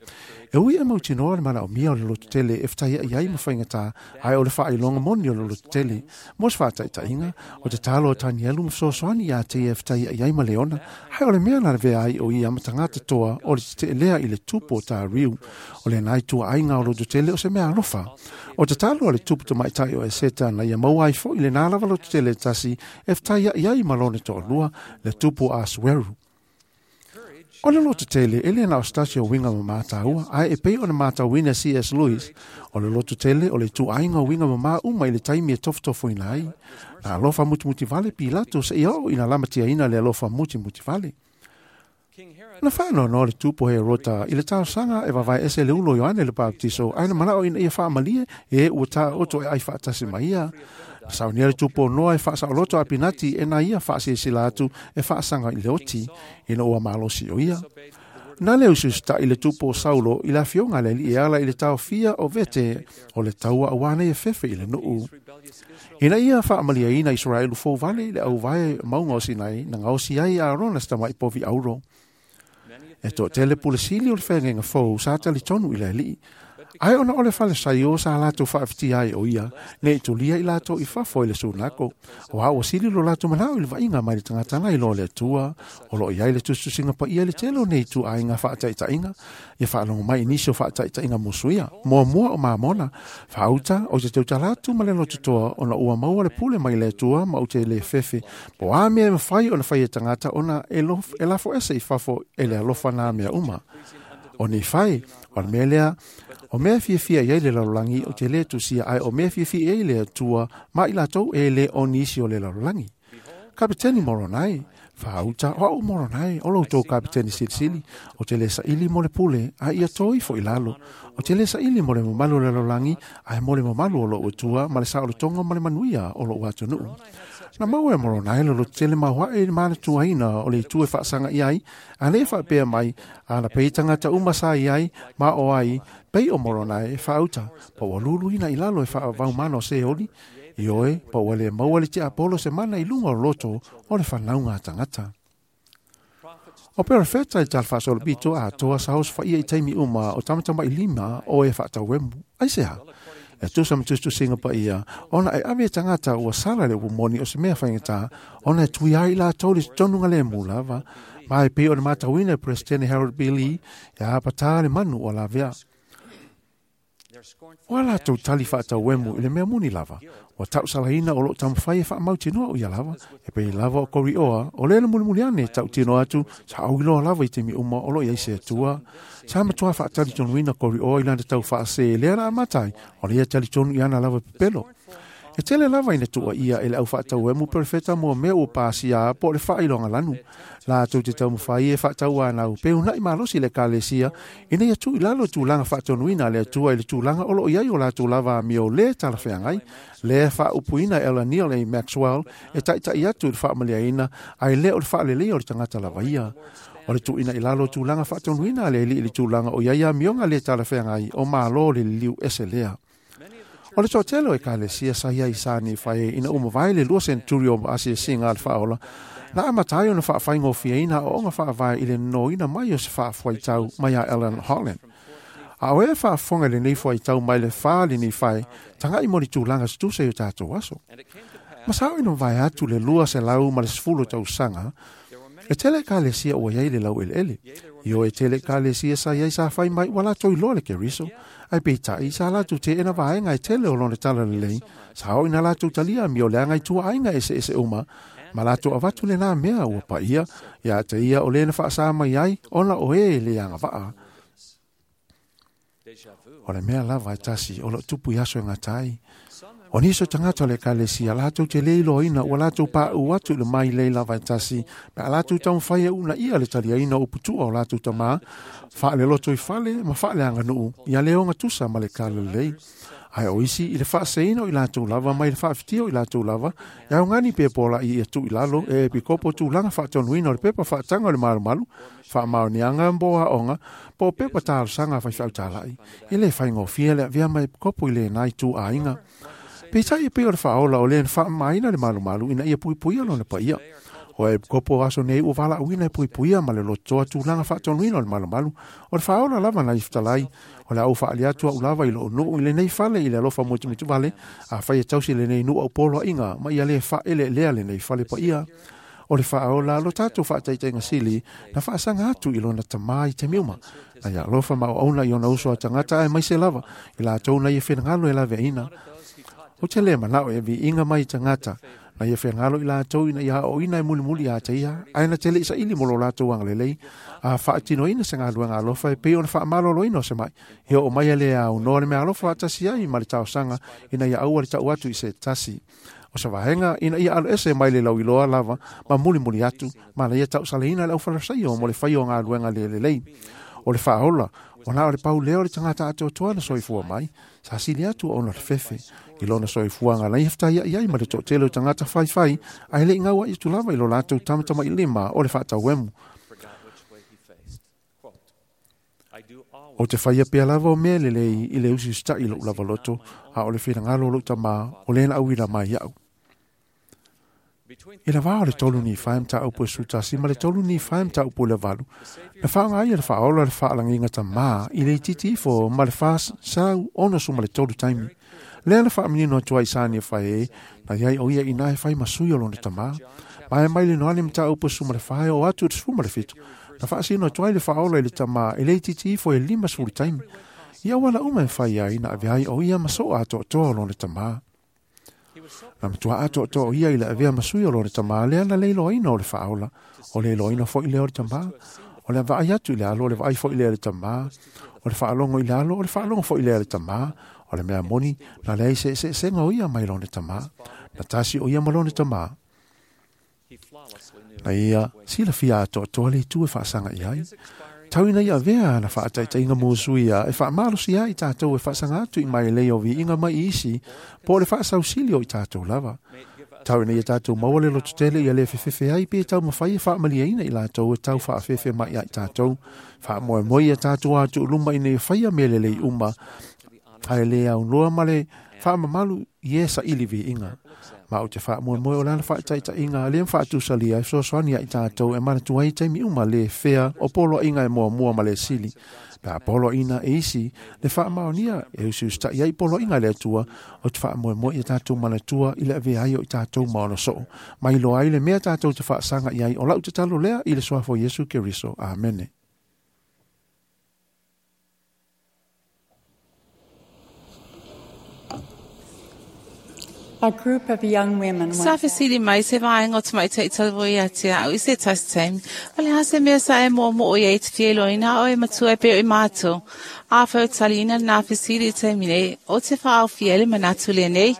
E ui e mautinoa le manaomia o le lototele e fetaia'i ai ma faigata, ae o le faailoga moni o le lototele. Mo se faataitaiga, o tatalo a Tanielu ma fesoasoani iā te ia e fetaia'i ai ma Leona, ae o le mea na lavea ai o ia ma tagata toa o le tete'elea i le tupu o Tariu. O lenā ituaaiga o lototele o se mea alofa. O tatalo a le tupu tamaitai o Eseta na ia maua ai fo'i lenā lava lototele e tasi e fetaia'i ai ma lona toalua, le tupu o Asueru. O le lototele e le na o se tasi o uiga mamā taua, ae e pei ona matauina e C.S. Lewis, o le lototele o le ituaiga o uiga mamā uma i le taimi e tofotofoina ai. Na alofa mutimutivale Pilato seia oo ina lamatiaina le alofa mutimutivale. Na faanoanoa le tupu o Herota i le talosaga e vavae ese le ulo o Ioane le Papatiso, ae na manao ina ia faamalie e ua taoto e ai faatasi ma ia. Na saunia le tupu o Noa e faasaoloto a Pinati e na ia faasilasila atu e faasaga i le oti, ina ua malosi o ia. Na le usiusita'i le tupu o Saulo i le afioga a le alii e ala i le taofia o vete o le taua auā nei e fefe i le nuu. Ina ia faamaliaina Isaraelu fouvale i le auvae mauga o Sinai, na gaosi ai e Arona se tama'i povi auro. E toatele pule sili o le feagaiga fou sa talitonu i le Alii. Ae ona o le Falesaio sa latou faafetia ai o ia, nei tulia i latou i fafo i le sunako. Auā ua sili lo latou manao i le vaaiga mai le tagata nai loa le Atua. O lo o i ai le tusitusiga paia i le tele o nei ituaiga faataitaiga. Ia faalogo mai i nisi o faataitaiga musuia. Muamua o Mamona, faauta, ou te tautala atu ma le lototoa ona ua maua le pule mai le Atua ma ou te le fefe. Po o a mea e mafai ona fai e tagata ona e lafo ese i fafo e le alofa nā mea uma. O Nifai, o le mea lea, o mea e fiafia i ai le lalolagi ou te le tusia, ae o mea e fiafia i ai le Atua ma i latou e le o nisi o le lalolagi. Kapeteni Moronai, faauta, o au Moronai, o lo outou kapeteni silisili, ou te le saili mo le pule, a ia to ifo i lalo. Ou te le saili mo le mamalu o le lalolagi, ae mo le mamalu o lou Atua ma le saolotoga ma le manuia o lou atunuu. Na maua e Moronai le lototele maoae i le manatuaina o le itu e faasaga i ai, a le faapea mai, a na pei tagata uma sa i ai, ma o ai, pei o Moronai e faauta, pa ua luluina i lalo e faavaumano Seoli, ioe, pa ua le maua le tiapolo se mana i luga o loto o le fanauga a tagata. O perofeta i tala faasolopito atoa sa osofaia i taimi uma o tamatamailima o e faatauemu. Aisea? E tusa ma tusitusiga paia, ona e ave e tagata ua sala le upu moni o se mea faigata, ona e tui ai i latou le tonuga lemu lava. Ma e pei ona matauina e Peresetene Harold B. Lee, e apatā le manu o lavea. O a latou tali faatauemu i le mea moni lava, ua tausalaina o loo taumafai e faamautinoa o ia lava, e pei lava o Korioa, o lea le mulimuli ane e tautino atu, sa auiloa lava i taimi uma o loo i ai se Atua. Sa matua faatalitonuina Korioa i lana tau faasē lea na amata ai, o lea talitonu i ana lava pepelo. E tele lava ina tuuaia e le au faatauemu perofeta mo mea ua pasia po o le faailoga lanu. Latou te taumafai e faatauanau pe uunai malosi le Ekalesia ina ia tuu i lalo tulaga faatonuina a le Atua i le tulaga o loo i ai o latou lava amio lē talafeagai. Lea faaupuina e Ella Neal A. Maxwell e taitai atu i le faamaliaina ae le o le faaleleia o le tagata lava ia. O le tuuina i lalo o tulaga faatonuina a le Alii i le tulaga o i ai amioga lē talafeagai o Malo le liliu ese lea. O le toatele o Ekalesia sa i ai sa Nifai ina ua mavae le 2 senturi o asiasiga a le Faaola, na amata ai ona faafaigofieina aoaoga faavae i le nonoina mai o se faafuaitau mai a Ellen Holland. A o e faafofoga i lenei fuaitau mai le 4 le Nifai, taga'i mo le tulaga se tusa i o tatou aso. Ma sao ina mavae atu le 210 tausaga, e tele ekalesia ua iai le laueleele. Ioe e tele ekalesia sa iai sa fai mai ua latou iloa le Keriso, ae peitai sa latou teena vaega e tele o lona talalelei, sa oo ina latou talia amioleaga i tuaaiga eseese uma, ma latou avatu lenā mea ua paia ia te ia o lē na faasā mai ai ona o e le agavaa. O le mea lava e tasi o loo tupu i aso e gata ai. O nisi o tagata o le ekalesia latou te le iloaina ua latou paʻu atu i le mailei lava e tasi pe a latou taumafai e uunaia le taliaina o uputua o latou tamā faaleloto i fale ma faaleaganuu ia le ogatusa ma le talalelei. Ae o isi i le faaseseina o i latou lava mai le faafitia o i latou lava e augani pe polaʻi ia tuu i lalo e epikopo tulaga faatonuina o le pepa faataga o le malumalu, faamaoniaga mo aoga po o pepa talosaga a faifeau talai. E le faigofie le avea ma epikopo i lenā ituaiga. Peitai e pei o le faaola o lē na faamamaina le malumalu ina ia puipuia lona paia. O epikopo o aso nei ua valaauina e puipuia ma le lotoa tulaga faatonuina o le malumalu. O le faaola lava na i fetalai, o le a ou faaali atu au lava i lou nuu i lenei fale i le alofa muitumuituvale, afai e tausi lenei nuu au poloaiga ma ia le faaeleelea lenei fale paia. O le faaola lo tatou faataitaiga sili na faasaga atu i lona tamā i taimi uma. Na ia alofa ma auauna i ona uso a tagata aemaise lava i latou na ia finagalo e laveaiina. Ou te le manao e viiga mai i tagata na ia fegalo i latou ina ia aoaoina e mulimuli ia te ia, ae na te le i saili mo lo latou agalelei, a faatinoina se galuega alofa e pei ona faamaloloina o se mai, e oo mai e le aunoa le meaalofa faatasi ai ma le talosaga ina ia aua le tau atu i se tasi o se vaega ina ia aloese mai le lauiloa lava ma mulimuli atu, ma na ia tausaleina le aufalasaio mo le faia o galuega le lelei. O le faaola, ua na o le pau lea o le tagata atoatoa na soifua mai, sa sili atu ona o le fefe i lona soifuaga na ia fetaiaʻi ai ma le toatele o tagata faifai ae le i gauaʻi atu lava i lo latou tamatamailima o le faatauemu. Ou te faia pea lava o mea lelei i le usiusitaʻi i loʻu lava loto, a o le finagalo o loʻu tamā o lē na auila mai iaʻu. I le vā o le 3 Nifai mataupu e 11 ma le 3 Nifai mataupu e 8, na faaaoga ai e le faaola le faalagiga tamā i le itiiti ifo ma le 463 taimi. Lea na faamanino atu ai i Sani e fai e, na i ai o ia inā e fai ma sui o lona tamā. Ma e mai le Noane mataupu e 14 e oo atu i le 17, na faasino atu ai le faaola i le tamā i le itiiti ifo e 50 taimi. I auala uma e fai ai na avea ai o ia ma soa atoatoa o lona tamā. Na matua atoatoa o ia i le avea ma sui o lona tamā lea na le iloaina o le faaola, o le iloaina foi lea o le tamā. O le vaai atu i le alo, o le vaai foi lea i le tamā. O le faalogo i le alo, o le faalogo foi lea i le tamā. O le mea moni, na leai se eseesega o ia mai lona tamā. Na tasi o ia ma lona tamā. Na ia silafia atoatoa le itu e faasaga i ai. Tau ina ia avea ana faataitaiga musuia e faamalosia ai i tatou e faasaga atu i mailei o viiga mai i isi po o le faasausili o i tatou lava. Tau ina ia tatou maua le lototele ia le fefefe ai pe taumafai e faamalieina i latou e tau faafefe mai ia i tatou. Faamoemoe ia tatou atuuluma ina ia faia mea lelei uma ae le aunoa ma le faamamalu i e saili viiga. Ma ou te faamoemoe o lana faataitaiga lea ma faatusalia e fesoasoani ia i tatou e manatua ai i taimi uma le fea o poloaiga e muamua ma le sili. Pe a poloaiina e isi le faamaonia e usiusitaʻi ai i poloaiga a le Atua, ou te faamoemoe ia tatou manatua i le avea ai o i tatou ma ona soo, ma iloa ai le mea tatou te faasaga i ai. O lau tatalo lea i le suafa o Iesu Keriso. Amene. A group of young women Sa went fesili mai se vaega o tamaitai talavou ia te au i se tasi taimi, o le a se mea sa e moomoo i ai te fia iloaina a oe matua e pei o i matou? Afai o taliina lenā fesili i le taimi nei, ou te faaofia ai le manatu lenei,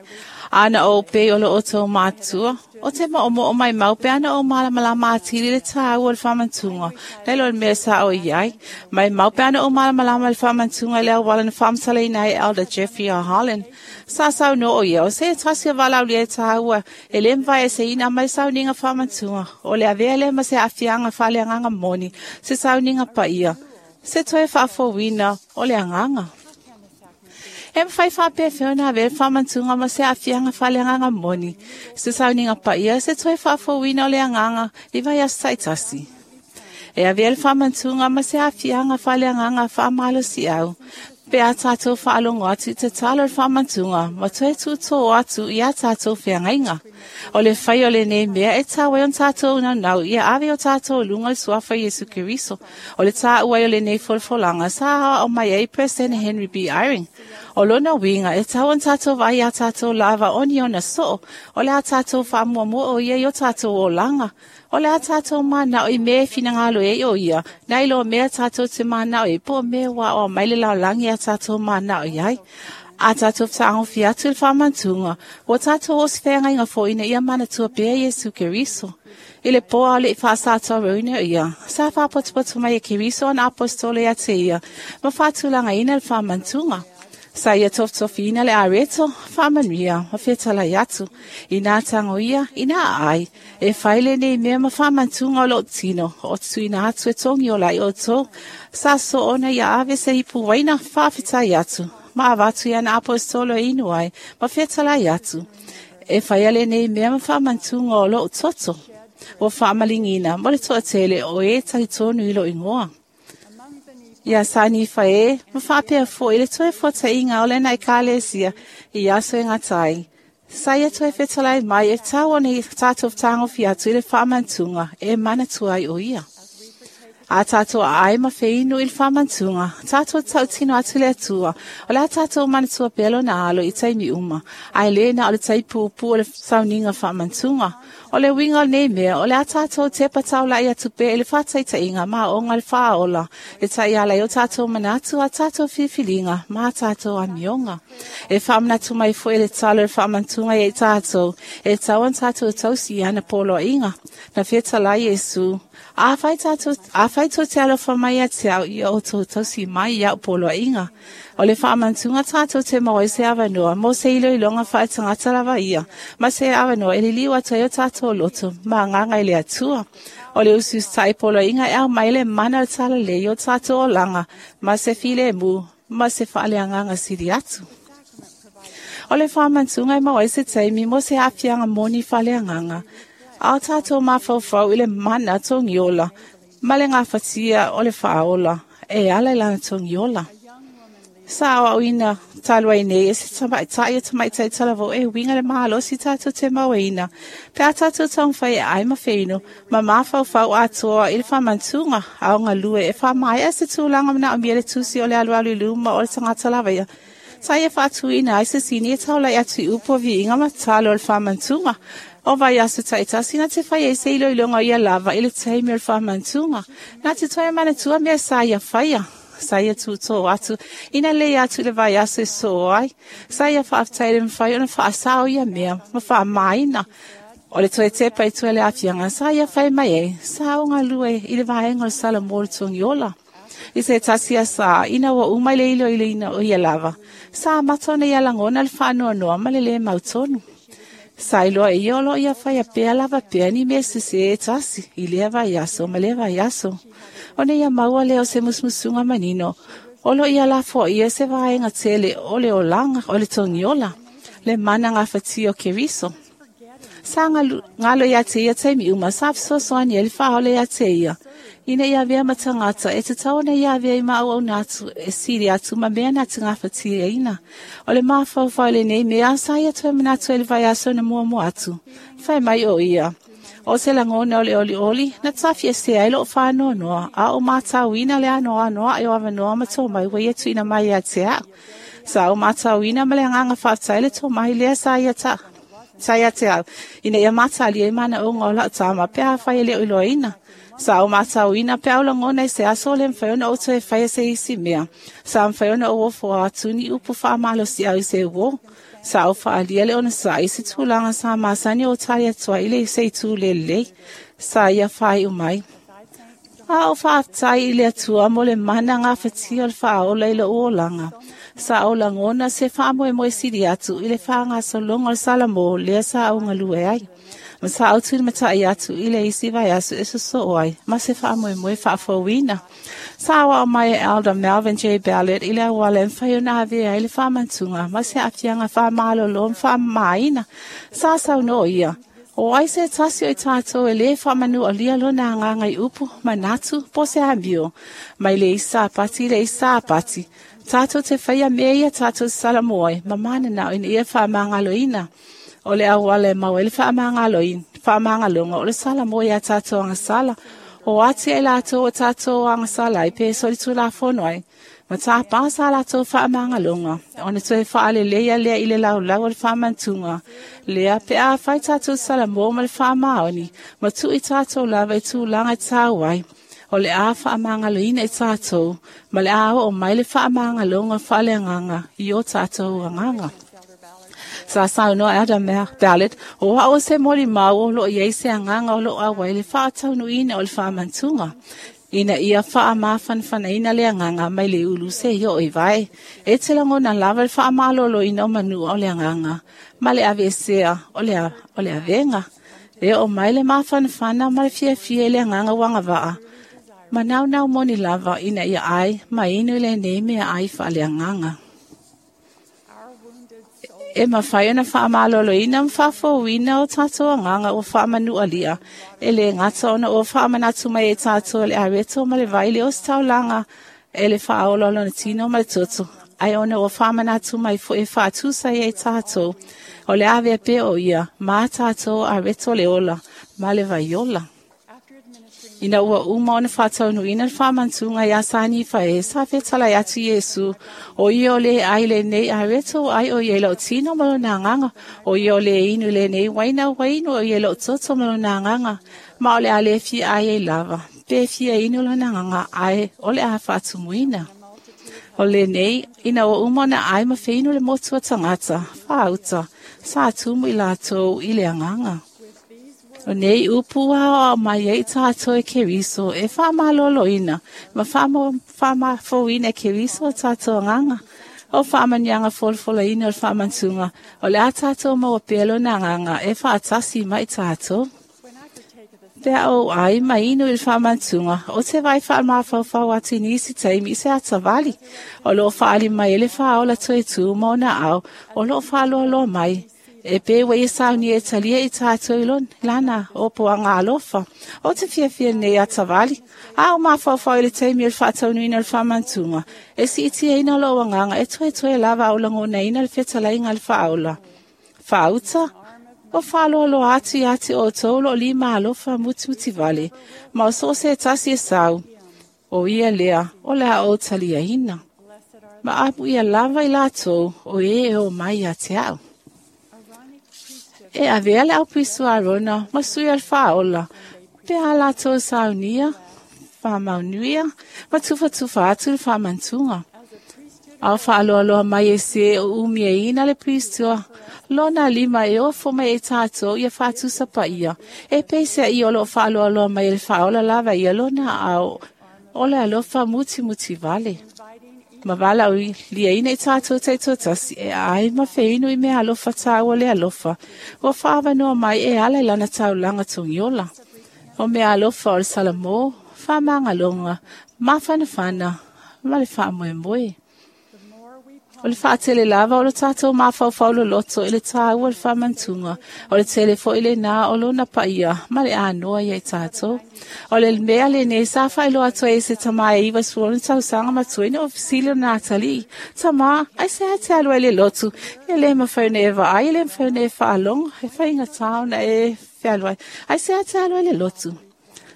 Ana ou pei o lo outou matua, o te moomoo mai mau pe ana ou malamalama atili i le tāua o le faamantuga, nai lo le mea sa o i ai. Mai mau pe ana ou malamalama i le faamantuga i le auala na faamatalaina ai e Elder Jeffrey R. Holland. Sa saunoa o ia, o se tasi o valaaulia e tāua e le mavaeseina mai sauniga faamantuga, o le avea lea ma se aafiaga faaleagaga moni, se sauniga paia, se toe faafouina o le agaga. E mafai faapefea ona avea le faamantuga ma se aafiaga faaleagaga moni, se sauniga paia, se toe faafouina o le agaga i vaiaso taitasi? E avea le faamantuga ma se aafiaga faaleagaga faamalosiau, pe a tatou faalogo atu i tatalo o le faamantuga ma toe tuutō atu iā tatou feagaiga. O le fai o lenei mea e tau ai ona tatou naunau ia ave o tatou luga le suafa Iesu Keriso. O le tāua ai o lenei folafolaga sa aoao mai ai Peresetene Henry B. Eyring. O lona uiga e tau ona tatou vaai iā tatou lava o ni ona soo, o le a tatou faamuamua o ia i o tatou olaga. O le a tatou manao i mea e finagalo ai o ia, nai lo mea tatou te manao ai, po o mea ua aoao mai le lalolagi a tatou manao i ai. A tatou fetagofi atu i le faamantuga, ua tatou oo se feagaiga foi ina ia manatua pea Iesu Keriso. I le pō a o leʻi faasatauaina o ia, sa faapotopoto mai e Keriso ana aposetolo ia te ia, ma faatulagaina le faamantuga. Sa ia tofotofiina le areto, faamanuia, ma fetalai atu, inā tago ia, inā aai, e fai lenei mea ma faamantuga o lou tino, o te tuuina atu e togi ola ai outou, sa soo ona ia ave se ipu uaina faafetai atu, ma avatu i ana aposetolo e inu ai, ma fetalai atu. E faia lenei mea ma faamantuga o lou toto. Ua faamaligiina mo le toatele o e talitonu i lou igoa. Ia sa nifa e, ma faapea foi le toe fuataiga o lena ekalesia i aso e gata ai. Sa ia toe fetalai mai e tau ona tatou fetagofi atu i le faamantuga e manatua ai o ia. A tatou aai ma feinu i le faamantuga, tatou tautino atu le Atua, o le a tatou manatua pea lona alo i taimi uma, ae lē na o le taipuupuu o le sauniga faamantuga. O le uiga o lenei mea, o le a tatou tepa taulaʻi atu pea i le faataitaiga ma aoga le faaola, e taiala ai o tatou manatu, a tatou filifiliga ma a tatou amioga. E faamanatu mai foi le talo o le faamantuga ia i tatou, e tau ona tatou tausi i ana poloaiga. Na fetalai Iesu, afai tou te alofa mai ia te au, ia outou tausi mai i au poloaiga. O le faamantuga tatou te maua ai se avanoa mo se iloiloga faaletagata lava ia, ma se avanoa e liliu atu ai o tatou loto ma agaga i le Atua. O le usiusitai poloaiga e aumai le mana o le talalelei o tatou olaga, ma se filemu, ma se faaleagaga sili atu. O le faamantuga e maua ai se taimi mo se aafiaga moni faaleagaga, a o tatou mafaufau i le mana togiola ma le gafatia o le faaola e ala i lana togiola. Sa aoaoina talu ai nei e se tamaitai e tamaitai talavou e uiga le malosi tatou te mauaina, pe a tatou taumafai e aai ma feinu ma mafaufau atoa i le faamantuga a o galue e faamaea se tulaga manaomia le tusi o le alualu i luma o le tagata lava ia. Sa ia faatuina ai se sini e taulai atu i upu o viiga ma talo o le faamantuga. O vaiaso taitasi na te fai ai se iloiloga o ia lava i le taimi o le faamantuga. Na te toe manatua mea sa ia faia. Sa ia tuutō atu, ina lei atu i le vaiaso e soo ai. Sa ia faafetai le mafai ona faasao ia mea ma faamaina. O le toe tepa i tua i le aafiaga, sa ia fai mai ai, sa o galue i le vaega o le Salamo o le togiola. I se tasi asa, ina ua uma i le iloiloina o ia lava, sa amata ona ia lagona le faanoanoa ma le lē mautonu. Sa iloa e ia o loo ia faia pea lava pea ni mea sesē e tasi, i lea vaiaso ma lea vaiaso. Ona ia maua lea o se musumusuga manino, o loo ia lafoaia se vaega tele o le olaga o le togiola, le mana gafatia o Keriso. Sa galo ia te ia taimi uma, sa fesoasoani ai le faaola ia te ia, ina ia avea ma tagata e tatau ona ia avea i maauauna atu e sili atu ma mea na te gafatiaina. O le mafaufau lenei mea, sa ia toe manatu ai le vaiaso na muamua atu. Fai mai o ia, o se lagona o le olioli, na tafiesea ai loo faanoanoa, a o matauina le anoanoaʻi o avanoa ma tomai ua ia tuuina mai ia te au. Sa o matauina ma le agaga faafetai le tomai lea sa ia ta sa ia te au, ina ia matalia i manaoga o lau tama pe afai e le o iloaina. Sa o matauina pe au lagona i se aso o le mafai ona ou toe faia se isi mea. Sa mafai ona ou ofoa atu ni upu faamalosiau i se uō. Sa ou faaalia le onosai i se tulaga sa masani o tali atu ai i le se itu lelei. Sa ia faaiu mai. A o faafetai i le Atua mo le mana gafatia o le faaola i lou olaga. Sa ou lagona se faamoemoe sili atu i le faagasologa o le Salamo lea sa ou galue ai. Ma sa ou tulimataʻi atu i le isi vaiaso e sosoo ai, ma se faamoemoe faafouina. Sa aoao mai e Elder Melvin J. Ballard i le auala e mafai ona avea ai le faamantuga ma se aafiaga faamalolo ma faamamaina. Sa saunoa ia, O ai se tasi o i tātou e le whamanu o lia lona ngāngai upu, manatu, po se amio. Mai le isa pati, le isa pati. Tātou te whaia mea ia tātou salamoe, mamana nao ina ia whaamangaloina. O le awale mau ele whaamangaloina, whaamangaloga o le salamoe ia tātou angasala. O ati e lātou o tātou angasala i pe soli tūlafono ai. Ma tā pāsa lātou whaamangaloga. Ona toe whaale lea lea i le laulau o le whaamantunga. Lea pe a whai tātou salamoa ma le whaamaoni. Ma tu i tātou lava i tūlanga i tāwai. O le a whaamangaloina i tātou. Ma le a o mai le whaamangaloga whaaleanganga i o tātou anganga. Sa saunoa Adam Ballard, o a o se moli mau o lo iei se anganga o lo a wai le whaataunuina o le whaamantunga. Ina ia whaamawhanwhanaina le anganga mai le ulu se i o i vai. E te langona lava le whaamalolo ina o manua o le anganga. Ma le avesea o le avenga. E o mai le mawhanwhana ma le fiafia le anganga wanga waa. Ma nau nau moni lava ina ia ai, ma inu le nei mea ai wha le anganga. E mawhai ona whaamaloloina ma whaafouina o tātou anganga o whaamanualia. E le ngata ona o whaamanatu mai e tātou le areto ma le vaile o staulanga e le whaaola lona tino ma le toto. Ai ona o whaamanatu mai fo e whaatusa e tātou. O le ave pe o ia, mā tātou areto le ola, ma le vaiola. Ina ua uma ona whātaunuina le whaamantunga ia sani whae, sa whetala atu Yesu. O ia o le ai le nei areto ai o ia lau tino ma lona nganga. O ia o le inu le nei waina wainu o ia lau toto ma lona nganga. Ma o le ale fia ai e lava. Pe fia inu lona nganga ai o le a whaatumuina. O le nei, ina ua uma ona ai ma whainu le motua tangata, whaauta, sa tumu i lātou i le anganga. O nei upu a mai e tātou e Keriso, e whaamaloloina, ma whaamafouina e Keriso o tātou anganga. O whaamanianga folofoloina o le whaamantunga, o le a tātou maua pelo na anganga, e whaatasi mai tātou. Pea o ai mai inu i le whaamantunga, o te vai whaamawhauwhau atu nisi taimi i se atawali. O lo whaali mai e le whaola toe tū mauna au, o lo whaaloaloa mai. E pe wei e sauni e talia i tātou i lana o poanga alofa. O te fiafia nei atawali. A o mawhauwhau i le taimi o le whaataunuina o le whaamantunga. E si iti eina o lo anganga e toe toe lava au langona ina le whetalainga le whaaola. Whaauta, o whaaloaloa atu i ati o tōlo o lima alofa mututi vale. Ma o so se tasi e sau. O ia lea, o lea o talia ina. Ma apu ia lava i lātou o e o mai a te au. E avea le au pisu a rona, ma sui al whaola. Pe a lātou saunia, whamaunuia, ma tufatufa atu le whamantunga. Au whaaloaloa mai e se o umia ina le pristua. Lona lima e ofo mai e tātou ia whātusa pa ia. E peisea i o lo whaaloaloa mai e le whaola lava ia lona au. O le alofa muti muti vale. Ma wala ui lia ina i tātou te totasi e ai ma wheinu i mea alofa tāua le alofa. O whaawanoa mai e ala i lana taulanga tongiola. O mea alofa o le salamo, whamangalonga, mawhanawhana, ma le whaamoemoe. O le whaatele lava o le tātou mawhauwhau lo loto i le tāua le whamantunga. O le telefo i le nā o lona paia, ma le ānoa ia i tātou. O le mea le nei sa whailoa atoa e se tama e iwa suona tausanga matuina o fisili o Natali. Tama, ai se ate alua i le lotu. E le mawhauna e vaai, e le mawhauna e whaalonga, e whainga tāuna e whialua. Ai se ate alua i le lotu.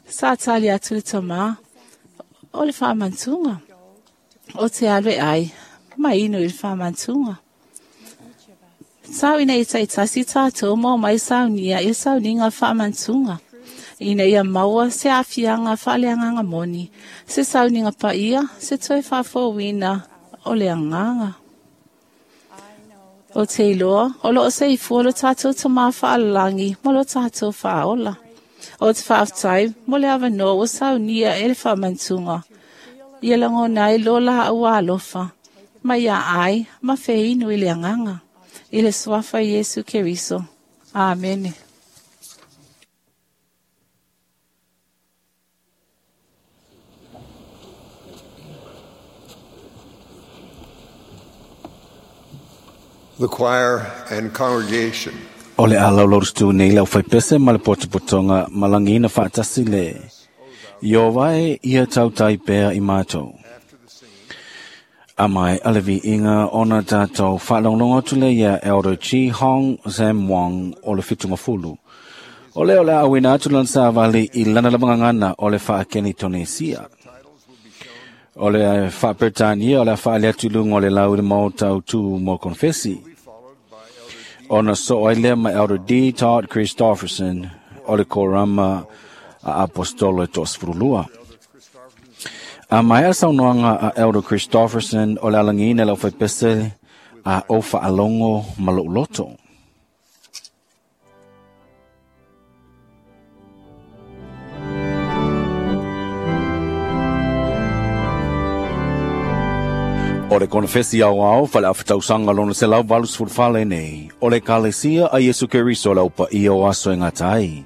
Sa tali atu le tama o le whamantunga. O te alua ai. Mai inu i le whamantunga. Tau ina i taitasi tātou mō mai saunia i le sauninga o le whamantunga. Ina ia maua se afianga whaaleanganga moni, se sauninga paia, se toe whaafouina o le anganga. O te iloa, o lo o se ifua lo tātou tamā whaalalangi, ma lo tātou whaola. O te whaaftai, mo le awanoa o saunia e le whamantunga. Ia langona i lola au alofa. Ma ia ai, ma wheinu i le anganga. I le swafa Yesu Keriso. Amen. The choir and congregation. O le a laulaurustu nei lau whaipese ma le potopotonga malangina whaatasi le. Iowa e ia tautai pea i mātou. A mai alevi inga ona tātou whaalonglongo atu le ia Elder Chi Hong Sam Wong o le whitunga fulu. O le o le awina atu lan sa vali i lana lavangangana o le whaakeni Tonesia. O le whaapertania o le whaale atu lunga o le lau le mautau tu mo konfesi. Ona so ai lea ma Elder D. Todd Christofferson o le korama a apostolo e toasfurulua. A mai a saunoaga a Elder Christofferson o le alagina lau faipese a o faalogo ma lou loto. O le konfesi au au fale awhitausanga lona se lau valus furufale nei. O le kalesia a Yesu Keriso lau pa ia o aso e ngatai.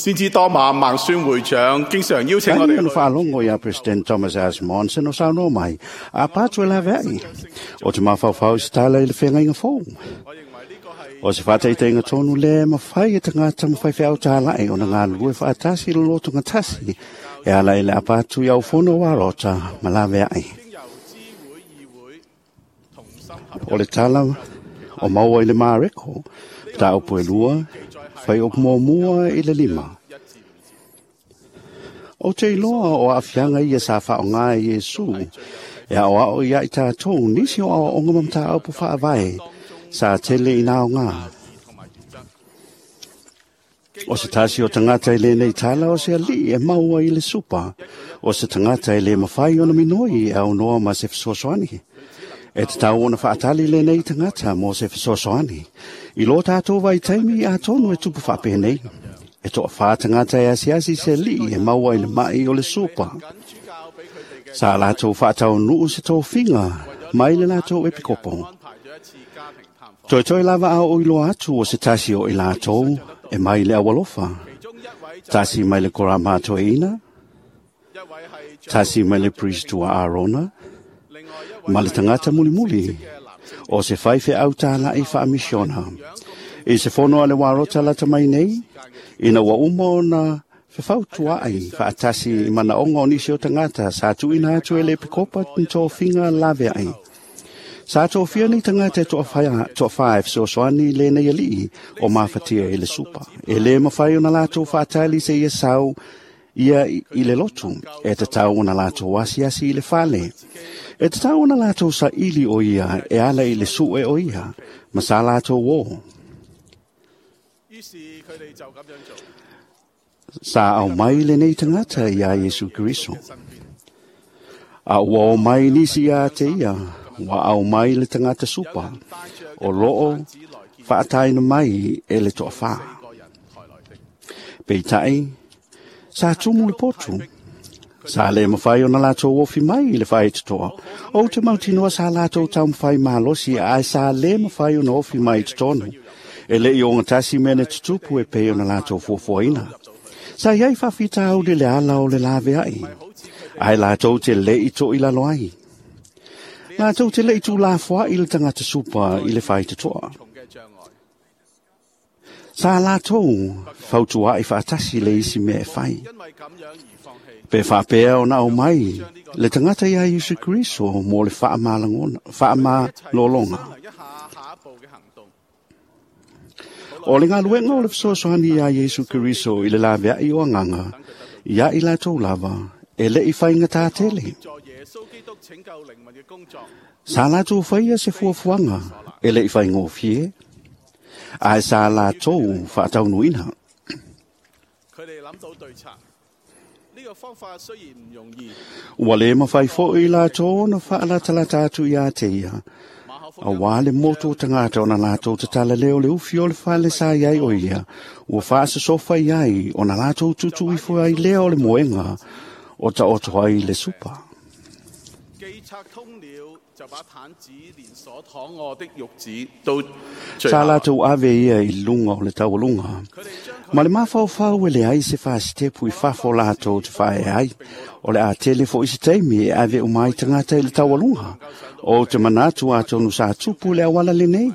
先知多馬孟孫會長經常邀請我哋 Taimi o faalogo ia President Thomas S. Monson o saunoa mai, a patu e laveai, o te mafaufau i se tala i le feagaiga fou. O se faataitaiga tonu lea e mafai e tagata ma faifeau tāla'i ona galulue faatasi i le lotogatasi e ala i le apa atu i aufono o arota ma laveai. O le tala o maua i le Mareko, mataupu e lua, fai o muamua i le lima. O te iloa o aafiaga ia sa faaogā e Iesu, e aoao ia i tatou nisi o aoaoga ma mataupu faavae sa tele i naogā. O se tasi o tagata e lenei tala o se alii e maua i le supa, o se tagata e lē mafai ona minoi e aunoa ma se fesoasoani. E tatau ona faatali lenei tagata mo se fesoasoani. I lo tatou vaitaimi atonu e tupu faapenei. E toafā tagata e asiasi se alii e maua i le mai o le supa. Sa latou faataunuu se tofiga mai le latou epikopo. Toetoe lava a o iloa atu o se tasi o i latou e mai le aualofa. Tasi mai le korama toeina, tasi mai le priest ua Arona, ma le tagata mulimuli. O se faifeau tāla'i fa'amisiona. I se fono a le warota lata mai nei, ina ua uma ona fefautua'i fa'atasi i manaoga o nisi o tagata sa tu'uina atu e le epikopa ni tofiga lavea'i. Sa tofia nei tagata e to'afā e fesoasoani i lenei ali'i o mafatia i le supa. E lē mafai ona latou fa'atali seia sau ia i le lotu, e tatau ona latou asiasi i le fale. E tatau ona latou sa'ili o ia e ala i le su'e o ia, ma sa latou ō. Sa aumai lenei tagata iā Iesu Keriso. A ua o mai nisi iā te ia, ua aumai le tagata supa, o loo fa'ataina mai e le to'afā. Peitai, sa tumu le potu. Sa le mafai ona latou ofi mai i le faitotoa. Ou te mautinoa sa latou taumafai malosi ae sa lē mafai ona ofi mai i totonu. E lē i ogatasi mea na tutupu e pei ona latou fuafuaina. Sa iai faafitauli le ala o le lavea'i, ae latou te lē i to'ilalo ai. Latou te lē i tulafoa'i le tagata supa i le faitotoa. Sa latou fautua'i fa'atasi le isi mea e fai. Pe fa'apea ona aumai le tagata iā Iesu Keriso mo le fa'amalologa. O le galuega o le fesoasoani iā Iesu Keriso i le lavea'i o agaga, ia i latou lava, e lē i faigatā tele. Sa latou faia se fuafuaga e lē i faigofie, ae sa latou fa'ataunuuina. Ua lē mafai fo'i latou ona fa'alatalata atu iā te ia, auā le motu o tagata ona latou tatala lea o le ufi o le fale sa i ai o ia, ua fa'asosofa i ai ona latou tutu ifo ai lea o le moega o ta'oto ai le supa. Sa latou ave ia i luga o le taualuga. Ma le mafaufau e leai se fasitepu i fafo latou te fa'aea ai, o le a tele fo'i se taimi e ave uma ai tagata i le taualuga. Ou te manatu atonu sa tupu le auala lenei.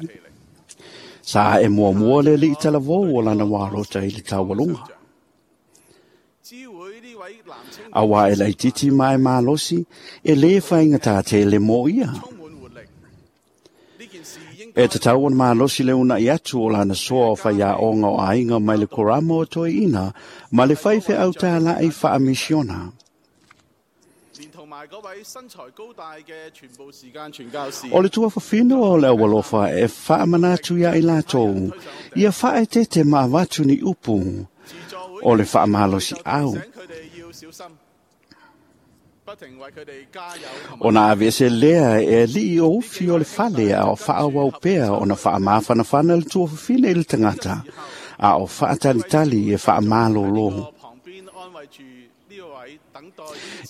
Sa a'e muamua le ali'i talavou o lana ualota i le taualuga. Auā e laititi ma e malosi, e lē faigatā tele mo ia. E tatau ona malosi le una'i atu o lana soa o faiaoga o aiga mai le korama o toeaina ma le faifeau tāla'i fa'amisiona. O le tuafafine o le aualofa e fa'amanatu iā i latou, ia fa'aetete ma avatu ni upu o le fa'amalosi'au. Ona aveese lea e ali'i o ufi o le fale a o fa'aauau pea ona fa'amafanafana le tuafafine i le tagata, a o fa'atalitali e fa'amalōlō.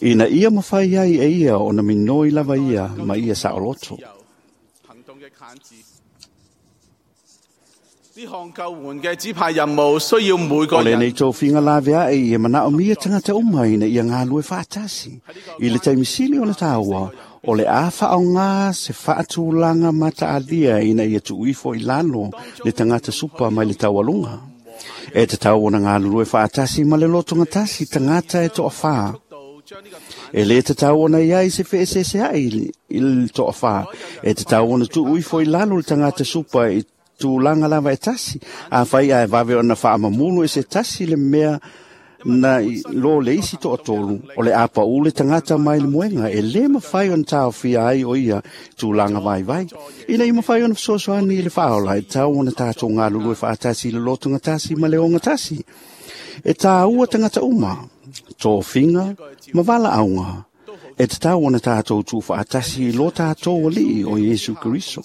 Ina ia mafai ai e ia ona minoi lava ia ma ia sa'oloto. O lenei tofiga lavea'i e mana'omia tagata uma ina ia galue fa'atasi. I le taimi sili ona tāua, o le a fa'aogā se fa'atulaga mata'alia ina ia tu'uifo i lalo le tagata supa mai le taualuga. E tatau ona galulue fa'atasi ma le lotogatasi tagata e to'afā. E lē tatau ona iai se fe'eseesea'i i le to'afā. E tatau ona tu'uifo i lalo le tagata supa i tulaga lava e tasi, afai ae vave ona fa'amamulu e se tasi le mea na lo le isi to'atolu, o le a pa'ū le tagata mai le moega e lē mafai ona taofia ai o ia tulaga vaivai. Ina ia mafai ona fesoasoani i le fa'aola, e tatau ona tatou galulue fa'atasi i le lotogatasi ma le ogatasi. E tāua tagata uma, tofiga ma vala'auga, e tatau ona tatou tu'ufa'atasi i lo tatou ali'i o Iesu Keriso.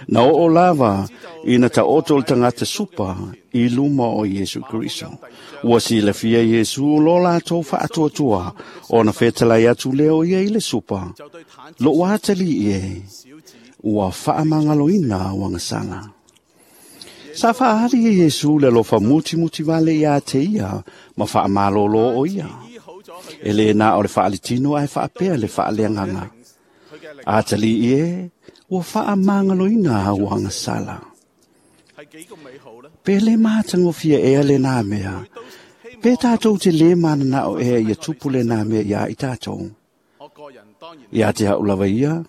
Na oo lava ina ta'oto le tagata supa i luma o Iesu Keriso. Ua silafia Iesu lo latou fa'atuatua, ona fetalai atu lea o ia i le supa. Lo'u atali'i e, ua fa'amagaloina uagasala. Sa fa'aali e Iesu le alofa mutimuti vale iā te ia ma fa'amalōlō o ia. E lē na o le fa'alitino ae fa'apea le fa'aleagaga. Atalii e, ua faamagaloina au agasala. Pe le matagofie ea lenā mea, pe tatou te lē mananao ea ia tupu lenā mea iā i tatou. Ia te a'u lava ia,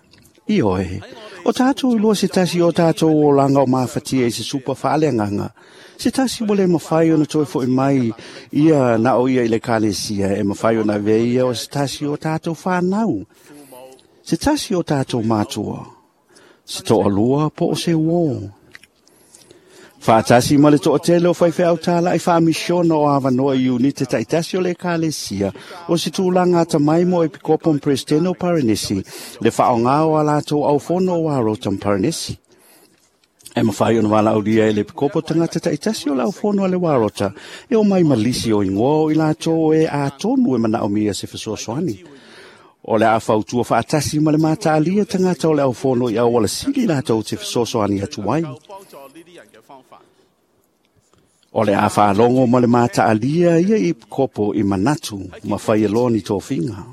ioe, o tatou iloa se tasi o tatou olaga o mafatia i se supa faaleagaga, se tasi ua lē mafai ona toe fo'i mai ia na o ia i le ekalesia e mafai ona avea ia o se tasi o tatou fanau, se tasi o tatou matua, se to'alua po o se uō. Faatasi ma le to'atele o faifeau tāla'i faamisiona o avanoa i iunite ta'itasi o le ekalesia o se tulaga atamai mo epikopo ma peresetene o Parenesi le fa'aaogā o a latou aufono o Arota ma Parenesi. E mafai ona valaaulia e le epikopo tagata ta'itasi o le aufono a le Warota e o mai ma lisi o igoa o i latou e atonu e mana'omia se fesoasoani. O le a fautua faatasi ma le mataalia tagata o le aufono i auala sili latou te fesoasoani atu ai. O le a faalogo ma le mataalia ia i kopo i manatu ma fai aloa ni tofiga.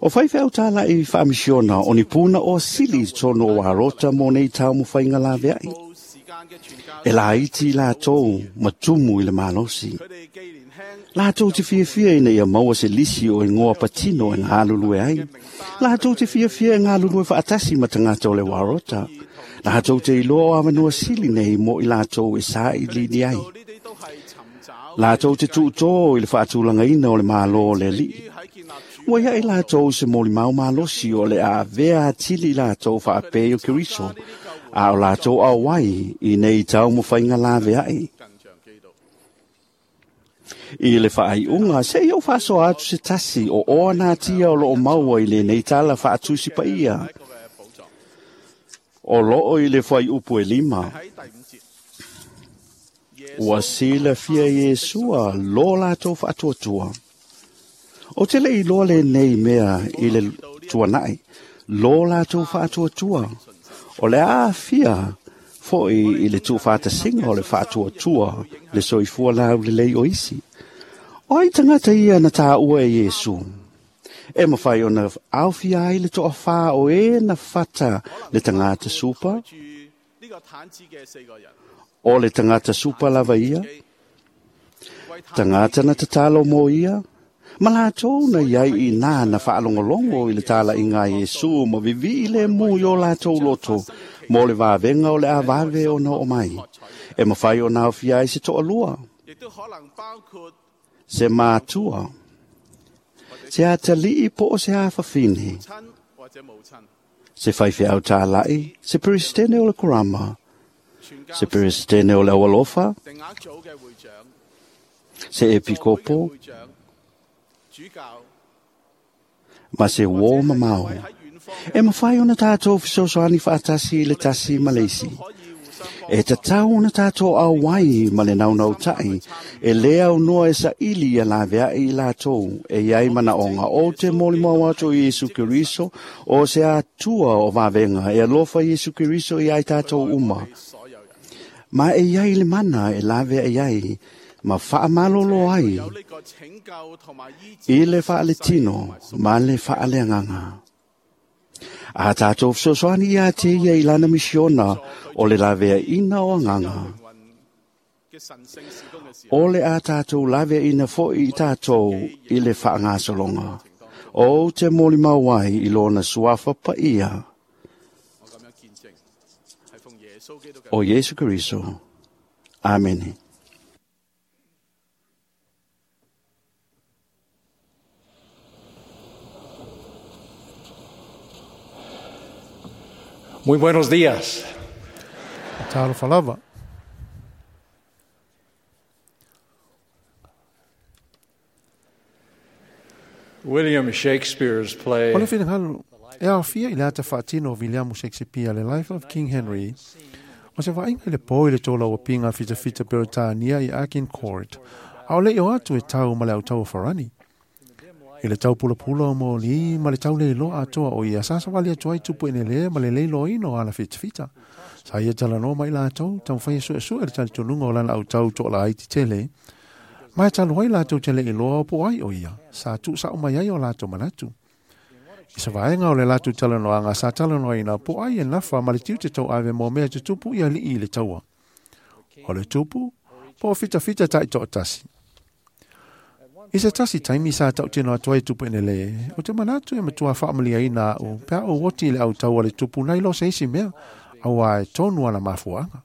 O faifeau tāla'i faamisiona o ni puna o sili i totonu o Arota mo nei taumafaiga laveai. E laiti latou ma tumu i le malosi. Latou te fiafia ina ia maua se lisi o igoa patino e galulue ai. Latou te fiafia e galulue faatasi ma tagata o le Warota. Latou te iloa o avanoa sili nei mo i latou e sailiili ai. Latou te tuutō i le faatulagaina o le Mālō o le Alii. Ua ia'i latou se molimau malosi o le a avea atili i latou faapei o Keriso, a o latou auai i nei taumafaiga laveai. I le faaiuga, se'i ou faasoa atu se tasi o oa natia o loo maua i lenei tala faatusi paia. O loo i le fuaiupu e 5. Ua silafia Iesua lo latou faatuatua. O te le iloa lenei mea i le tuana'i, lo latou faatuatua. O le aafia fo'i i le tuufaatasiga o le faatuatua le soifua laulelei o isi. O ai tagata ia na tāua e Iesu? E mafai ona aofia ai le to'afā o e na fata le tagata supa? O le tagata supa lava ia? Tagata na tatalo mo ia? Ma latou na iai i nā na faalogologo i le tala'iga a Iesu ma vivi'i lemu i o latou loto mo le vavega o le avave ona oo mai. E mafai ona aofia ai se to'alua, se matua, se atalii po o se afafine, se faifeau tāla'i, se peresetene o le korama, se peresetene o le aualofa, se epikopo, ma se uō mamao. E mafai ona tatou fesoasoani faatasi i le tasi ma le isi. E tatau ona tatou auai ma le naunautai, e lē aunoa e saili ia laveai i latou e iai manaoga o te molimau atu i Iesu Keriso o se Atua o vavega e alofa Iesu Keriso i ai tatou uma. Ma e iai le mana e laveai ai ma faamalolo ai i le faaletino ma le faaleagaga. A tatou fesoasoani ia te ia i lana misiona o le laveaina o agaga. O le a tatou laveaina fo'i i tatou i le faagasologa. O te molimau ai i lona suafa paia o Iesu Keriso. Amene. Muy buenos días. Talofa lava. William Shakespeare's play O le finagalo e aofia i le ata faatino o Viliamu Shakespeare le Life of King Henry, o se vaaiga i le pō i le tolauapiga fitafita Peretania i Agincourt, a o le'i o atu e tau ma le autau o Farani. I le tau pulapula o moli ma le tau leiloa atoa o ia sa savali atu ai tupu enelē ma le leiloaina o ala fitafita. Sa ia talanoa mai latou, taumafai e suesue le talitonuga o lana autau to'alaiti tele, ma e talu ai latou te le'i loa o po ai o ia, sa tuusa'o mai ai o latou manatu. I se vaega o le latou talanoaga sa talanoaina po o ai e nafa ma le tiute tauave mo mea tutupu i alii i le taua. O le tupu, po o fitafita taitoatasi. I se tasi taimi sa tautino atu ai tupu enele, o te manatu e matua faamaliaina a'u pe a ou oti i le autau a le tupu nai lo se isi mea, auā e tonu ana mafuaaga.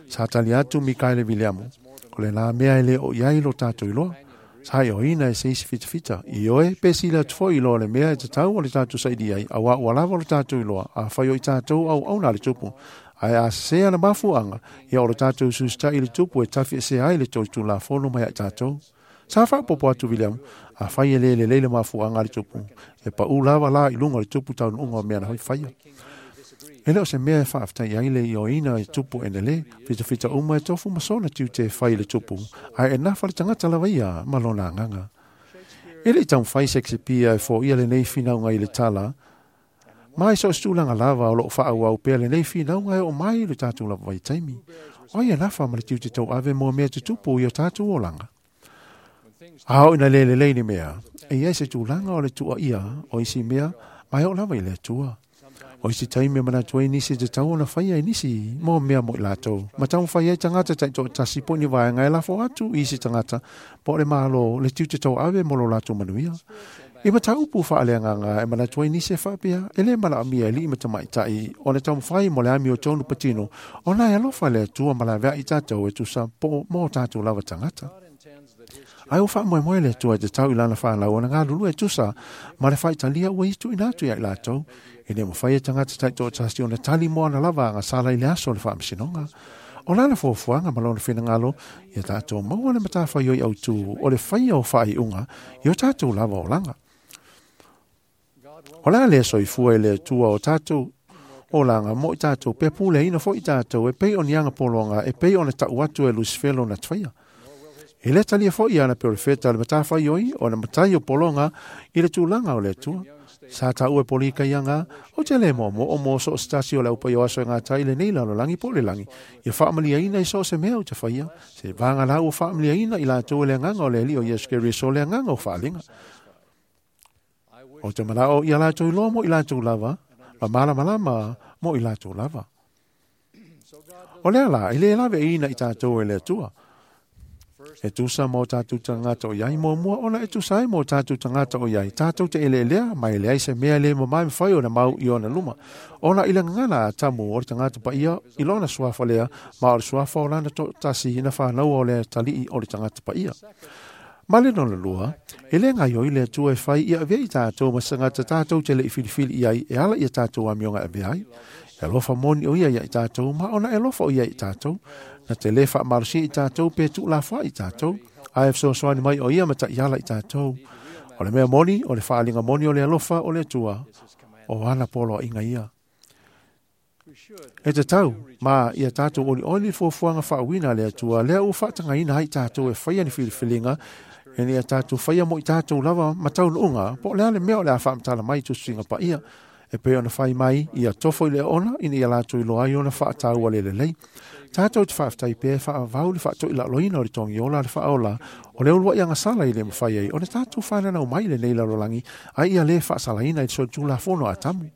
Sa tali atu Mikaele Viliamu, o lenā mea e lē o i ai lo tatou iloa. Sa ioina e se isi fitafita, ioe pe sili atu foi i lo le mea e tatau o le tatou saili ai, auā ua lava lo tatou iloa, afai o i tatou auauna a le tupu. Ae a sesē ana mafuaaga, ia o le tatou susita'i i le tupu e tafiesea ai le tolitulafono mai ai tatou. Sa faapopo atu Viliamu, afai e lē lelei le mafuaaga a le tupu, e paʻu lava la i luga o le tupu taunuuga o mea na faia. E le o se mea e faafetai ai le ioina i tupu enele, fitafita uma e tofu ma sona tiute e fai i le tupu, ae e nafa le tagata lava ia ma lona agaga. E le i taumafai Shakespeare e foia lenei finauga i le tala, ma i so o se tulaga lava o loo faaauau pea lenei finauga e oo mai i lo tatou lava vaitaimi. O ai e nafa ma le tiute tauave mo mea tutupu i o tatou olaga? A oo ina le lelei ni mea, e i ai se tulaga o le tuuaia o isi mea ma e oo lava i le Atua. O isi taimi e manatu ai nisi e tatau ona faia e nisi mo mea mo i latou, ma taumafai ai tagata taitoatasi po o ni vaega e lafo atu i isi tagata po o le Malo le tiute tauave mo lo latou manuia. I mataupu faaleagaga e manatu ai nisi e faapea, e lē manaomia e alii ma tamaitai ona taumafai mo le amiotonu patino, ona e alofa le Atua ma laveai i tatou e tusa po mo tatou lava tagata. Ae ua faamoemoe le Atua e tatau i lana fanau ona galulue e tusa ma le faitalia ua ia tuuina atu ia i latou. E le mafai e tagata taitoatasi ona tali mo ana lava agasala i le aso o le faamasinoga. O lana fuafuaga ma lona finagalo, ia tatou maua le matafaioi autū o le faia o faaiuga i o tatou lava olaga. O le a lea soifua i le Atua o tatou olaga mo i tatou pe puleaina foi i tatou e pei o ni agapologa e pei ona tau atu e Lusifelo na faia. E le talia foi ana perofeta le matafaioi o le matai o pologa i le tulaga o le Atua. Sa taua e Polika ia ga, ou te le moomoo mo so o se tasi o le aupai o aso e gata ai lenei lalolagi po o le lagi, ia faamaliaina i so o se mea ou te faia, se vaga la ua faamaliaina i latou e le agaga o le Alii o Iesu Keriso le agaga o faaaliga. Ou te manao ia latou iloa mo i latou lava, ma malamalama mo i latou lava. O lea la, e le laveaiina i tatou e le Atua. E tusa ma o tatou tagata o i ai muamua ona e tusa ai ma o tatou tagata o i ai, tatou te eleelea ma e leai se mea e le mamae mafai ona mau i ona luma. Ona i le gagana a Atamu o le tagata paia i lona suafa lea, ma o le suafa o lana toatasi na fanaua o le atalii o le tagata paia. Ma le lona lua, e le gaioi le Atua e fai ia avea i tatou ma se tagata tatou te le i filifili i ai e ala i a tatou amioga e avea ai. E alofa moni o ia ia i tatou, ma ona e alofa o ia i tatou. Na te lē faamalosia i tatou pe tuulafoai i tatou, ae fesoasoani mai o ia ma taiala i tatou. O le mea moni, o le faaaliga moni o le alofa o le Atua, o ana poloaiga ia. E tatau, ma ia tatou olioli le fuafuaga faauuina a le Atua, lea ua faatagaina ai tatou e faia ni filifiliga, ina ia tatou faia mo i tatou lava ma taunuuga, po o le a le mea o le a faamatala mai i Tusiga Paia, e pei ona fai mai ia tofo i le oona ina ia latou iloa ai ona faataua le lelei. Tatou te faafetai pea e faavavau le faatoilaloina o le togiola a le faaola o le uluai agasala i le mafai ai ona tatou fananau mai i lenei lalolagi, a ia lē faasalaina i le solitulafono a Atamu.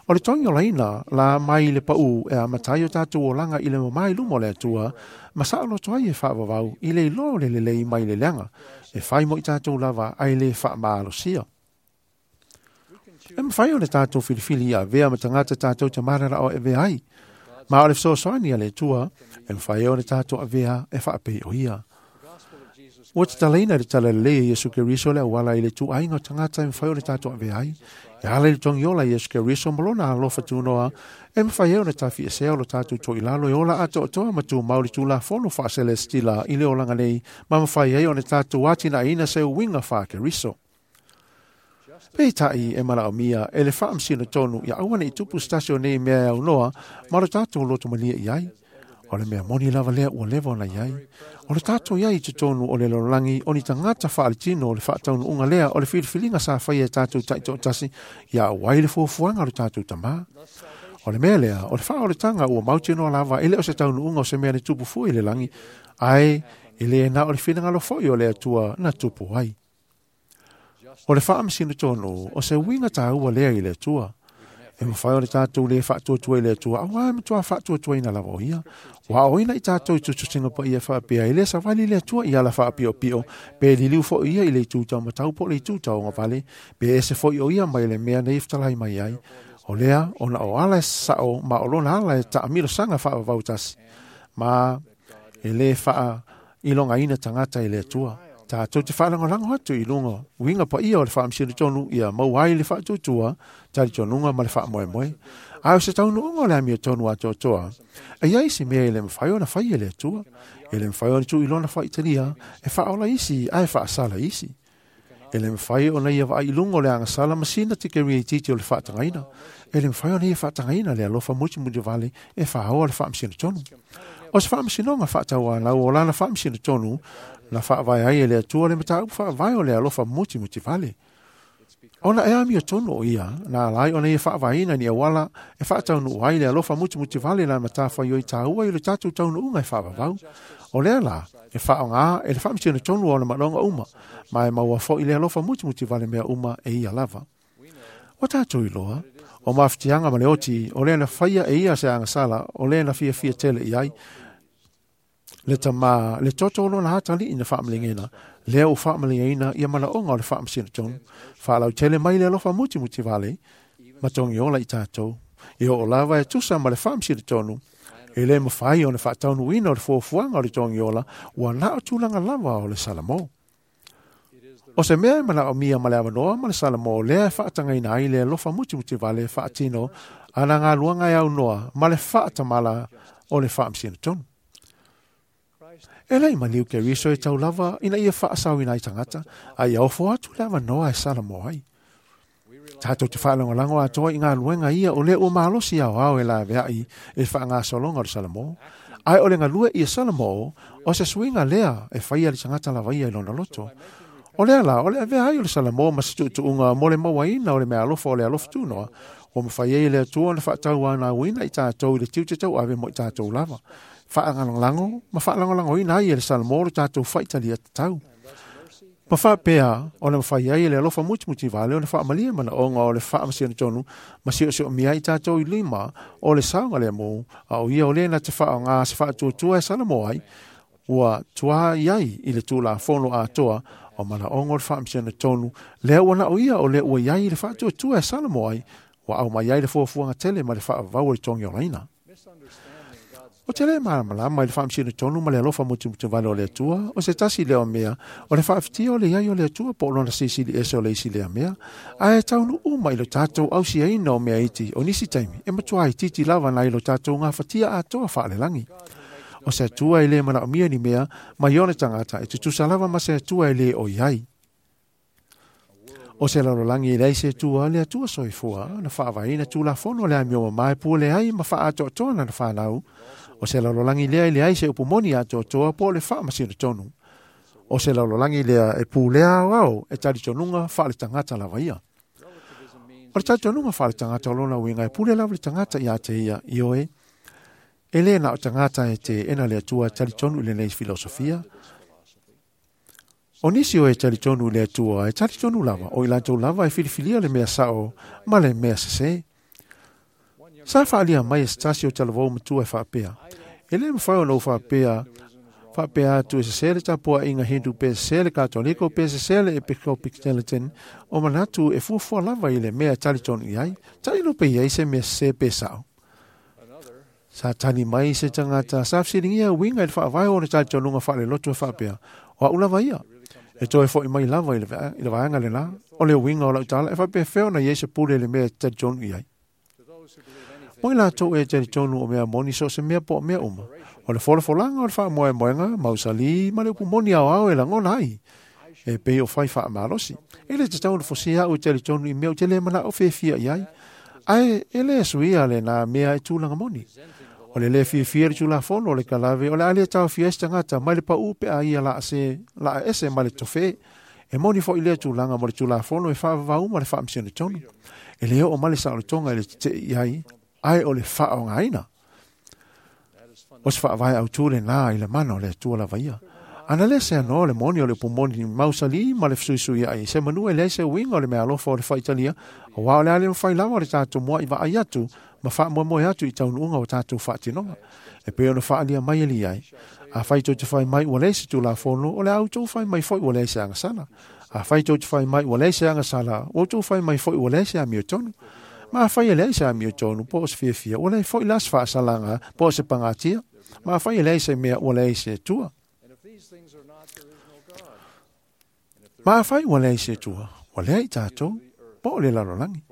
O le togiolaina la mai le paʻu e amata ai o tatou olaga i le mamā i luma o le Atua, ma saoloto ai e faavavau i le iloa o le lelei mai le leaga, e fai mo i tatou lava ae lē faamalosia. E mafai ona tatou filifili ia avea ma tagata tatou te mananao e avea ai. Ma o le fesoasoani a le Atua, e mafai ai ona tatou avea e faapei o ia. Ua tatalaina le tala lelei e Iesu Keriso le auala i le ituaiga o tagata e mafai ona tatou avea ai. E ala i le togiola a Iesu Keriso ma lona alofa tunoa, e mafai ai ona tafiesea o lo tatou toilalo e ola atoatoa ma tumau le Tulafono faaselesitila i le olaga nei, ma mafai ai ona tatou atinaeina se uiga faa-Keriso. Peitai e manaomia e le faamasino tonu ia aua ne i tupu se tasi o nei mea e aunoa ma lo tatou lotomalie i ai. O le mea moni lava lea ua leva ona i ai. O le tatou i ai i totonu o le lalolagi o ni tagata faaletino o le faataunuuga lea o le filifiliga sa faia e tatou taitoatasi ia auai le fuafuaga o le tatou Tamā. O le mea lea, o le faaoletaga ua mautinoa lava e le o se taunuuga o se mea na tupu fua i le lagi, ae e le na o le finagalo foi o le Atua na tupu ai. O le faamasino tonu, o se uiga tāua lea i le Atua. E mafai o le tātou le faatuatua i le Atua, auā e matuā faatuatuaina lava o ia. Ua aoina i tātou i tusitusiga paia faapea, e lē savali le Atua i ala faapiopio, pe liliu foʻi ia i le itu taumatau po o le itu tauagavale, pe ese foʻi o ia mai le mea nei fetalai mai ai. O lea, ona o ala e saʻo ma o lona ala e taamilosaga faavavau tasi, ma e lē faailogaina tagata i le Atua. Tātou te faalagolago atu i luga uiga paia o le faamasino tonu ia maua ai le faatuatua, talitonuga ma le faamoemoe. A o se taunuuga o le amiotonu atoatoa, e iai se mea e le mafai ona fai e le Atua, e le mafai ona tuu i lona faaitalia e faaola isi ae faasala isi. E le mafai ona ia vaai i luga o le agasala ma sina tikeri itiiti o le faatagaina. E le mafai ona ia faatagaina le alofa mutimuli e faaoa le faamasino tonu. O se faamasinoga faatauanau o lana faamasino tonu na faavae ai e le Atua le mataupu faavae o le alofa mutimuli. Ona e amiotonu o ia, na alai ona ia faavaeina ni auala e faataunuu ai le alofa mutimuli na matafaioi tāua i le tatou taunuuga e faavavau. O lea la, e faaaogā e le faamasino tonu o ona manaoga uma, ma e maua foʻi le alofa mutimuli mea uma e ia lava. Ua tatou iloa, o mafatiaga ma le oti, o lea na faia e ia se agasala, o lea na fiafia tele i ai, le tamā, le toto o lona atalii na faamalegena, lea ua faamalegaina ia manaoga o le faamasino tonu, faalautele mai le alofa mutimuli vale, ma togiola i tātou. E oo lava e tusa ma le faamasino tonu, e lē mafai ona faataunuuina o le fuafuaga o le togiola, ua na o tulaga lava o le Salamo. O se mea e manaomia ma le avanoa ma le Salamo lea e faatagaina ai le alofa mutimuli vale faatino a na galuega e aunoa ma le faatamala o le faamasino tonu. E lei maliu Keriso e tau lava ina ia faasaoina ai tagata, a ia ofo atu le avanoa e Salamo ai. Tātou te faalagolago atoa i galuega ia o lea ua malosi aoao e laveai i le faagasologa o le Salamo. Ae o le galue ia Salamo, o se suiga lea e faia le tagata lava ia i lona loto. O lea la, o le avea ai o le Salamo ma se tuutuuga mo le mauaina o le meaalofa o le alofa tunoa, ua mafai ai e le Atua ona faatauanauina i tātou i le tiute tauave mo i tātou lava. Faagalagolago ma faalagolagoina ai e le Salamo le tatou faitalia tatau. Ma faapea ona mafai ai e le alofa mutimuli vale ona faamalie manaoga o le faamasino tonu ma siosioomia ai tatou i lima o le saogalemu, a o ia o lea na te faaaogā se faatuatua e Salamo ai, ua tuā i ai i le tulafono atoa o manaoga o le faamasino tonu, lea ua na o ia o lea ua i ai i le faatuatua e Salamo ai, ua aumai ai le fuafuaga tele ma le faavavau o le togiolaina. O te le malamalama i le faamasino tonu ma le alofa mutimuli vale o le Atua, o se tasi lea o mea, o le faafitia o le iai o le Atua po o lona silisili ese o le isi lea mea, ae taunuu mai lo tatou ausiaina o mea iti o nisi taimi, e matuā itiiti lava nai lo tatou gafatia atoa faalelagi. O se Atua e lē manaomia ni mea mai ona tagata e tutusa lava ma se Atua e lē o i ai. O se lalolagi e leai se Atua, le Atua soifua, na faavaeina tulafono o le amio mamā e pule ai ma faaatoatoa lana fanau. O se lalolagi lea e leai se upu moni atoatoa po o le faamasino tonu. O se lalolagi lea e pulea aoao e talitonuga faaletagata lava ia. O le talitonuga faaletagata o lona uiga e pule lava le tagata iā te ia, ioe, e lē na o tagata e teena le Atua e talitonu i lenei filosofia. O nisi o e talitonu i le Atua e talitonu lava, o i latou lava e filifilia le mea saʻo ma le mea sesē. Sa faalia mai e se tasi o talavou matua e faapea, e lē mafai ona ou faapea faapea atu e sesē le tapuaʻiga Hindu pe sesē le Katoliko pe sesē le Episcopalian o manatu e fuafua lava i le mea e talitonu i ai, tailo pe i ai se mea sesē pe saʻo. Sa tali mai se tagata sa fesiligia uiga i le faavae o ona talitonuga faaleloto e faapea, o a'u lava ia. E toe foʻi mai lava i le vaega lenā, o le uiga o lau tala e faapefea ona i ai se pule i le mea e talitonu i ai. Mo i latou e talitonu o mea moni so o se mea po o mea uma, o le folafolaga o le faamoemoega, mausalī ma le upu moni aoao e lagona ai, e pei o fai faamalosi. E le tatau ona fosia a'u e talitonu i mea ou te lē manaʻo fiafia i ai, ae e lē suia lenā mea e tulaga moni. O le lē fiafia i le tulafono o le kalave, o le a lē taofia ai se tagata mai le paʻū pe a ia laa ese ma le tofē. E moni foʻi lea tulaga mo le tulafono e faavavau ma le faamasino tonu. E lē oo mai le saolotoga i le teteʻi i ai, ae o le faaaogāina. O se faavae autū lenā i le mana o le Atua lava ia. Ana le se ano le moni o le pumoni mausali ma le fesuisui ai se manu e leai se uiga o le meaalofa o le faitalia, auā o le a le mafai lava o le tatou mua'i vaai atu ma faamoemoe atu i taunuuga o tatou faatinoga. E pei ona faaalia mai e liai, afai tou te fai mai ua leai se tulafono, o le a outou fai mai foi ua leai se agasala. Afai tou te fai mai ua leai se agasala, ua outou fai mai foi ua leai se amiotonu. Ma afai e leai se amiotonu po o se fiafia, ua leai foi la se faasalaga po o se pagatia. Ma afai e leai se mea, ua leai se Atua. Ma afai ua leai se Atua, ua leai i tatou, po o le lalolagi.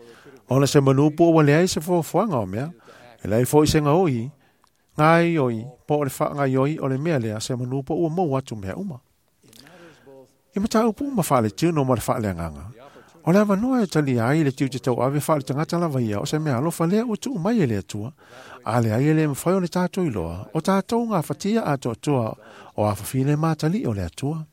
Ona se manu po ua leai se foafoaga o mea, e leai foi se gaoi, gaioi, po o le faagaioi o le mea lea, se manu po ua maua atu mea uma. I mataupu uma faaletino ma le faaleagaga, o le avanoa e talia ai le tiute tauave faaletagata lava ia o se mea alofa lea ua tuu mai e le Atua. A leai e le mafai ona tatou iloa, o tatou gafatia atoatoa o afafine matali'i o le Atua.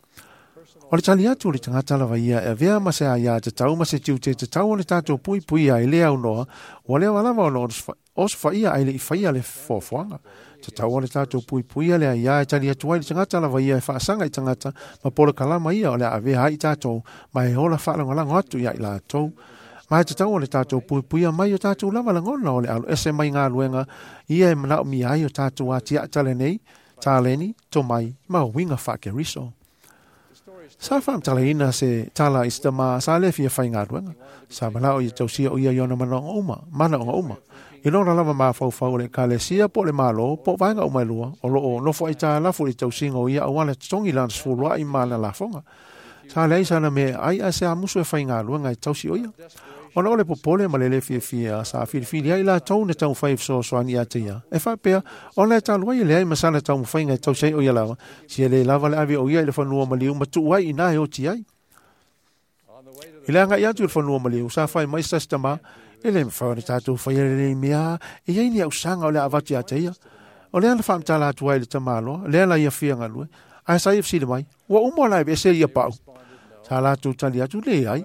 O le tali atu o le tagata lava ia e avea ma se aiā tatau ma se tiute tatau o le tatou puipuia i le aunoa, ua leva lava ona osofaia ae le i faia le foafoaga. Tatau o le tatou puipuia le aiā e tali atu ai le tagata lava ia e faasaga i tagata ma polokalama ia o le a avea ai i tatou ma e ola faalagolago atu ia i latou. Ma e tatau o le tatou puipuia mai o tatou lava lagona o le aloese mai galuega ia e manaomia ai o tatou atiae talenei, taleni, tomai ma uiga faa-Keriso. Sa faamatalaina se tala i se tamā sa le fia faigaluega. Sa manao ia tausia o ia i ona manaoga uma. I lona lava mafaufau o le ekalesia po o le Malo po o vaega uma e lua o loo nofo aitalafu i le tausiga o ia auala e totogi lana sefuluai ma ana lafoga. Sa leai sana mea e ai ae se amusu e faigaluega e tausi o ia. Ona o le popole ma le lē fiafia sa filifili ai latou na taumafai e fesoasoani ia te ia. E faapea, ona e talu ai e leai ma sana taumafaiga e tausi ai o ia lava, sia lē lava le ave o ia i le fanua maliu ma tuu ai inā e oti ai. I le agai atu i le fanua maliu, sa fai mai se tasi tamā, e le mafai ona tatou faia lenei mea, e i ai ni ausaga o le a avatu ia te ia. O lea na faamatala atu ai i le tamaloa, lea la ia fia galue, ae sa ia fesili mai, ua uma ona aveese ia pau. Sa latou tali atu, leai.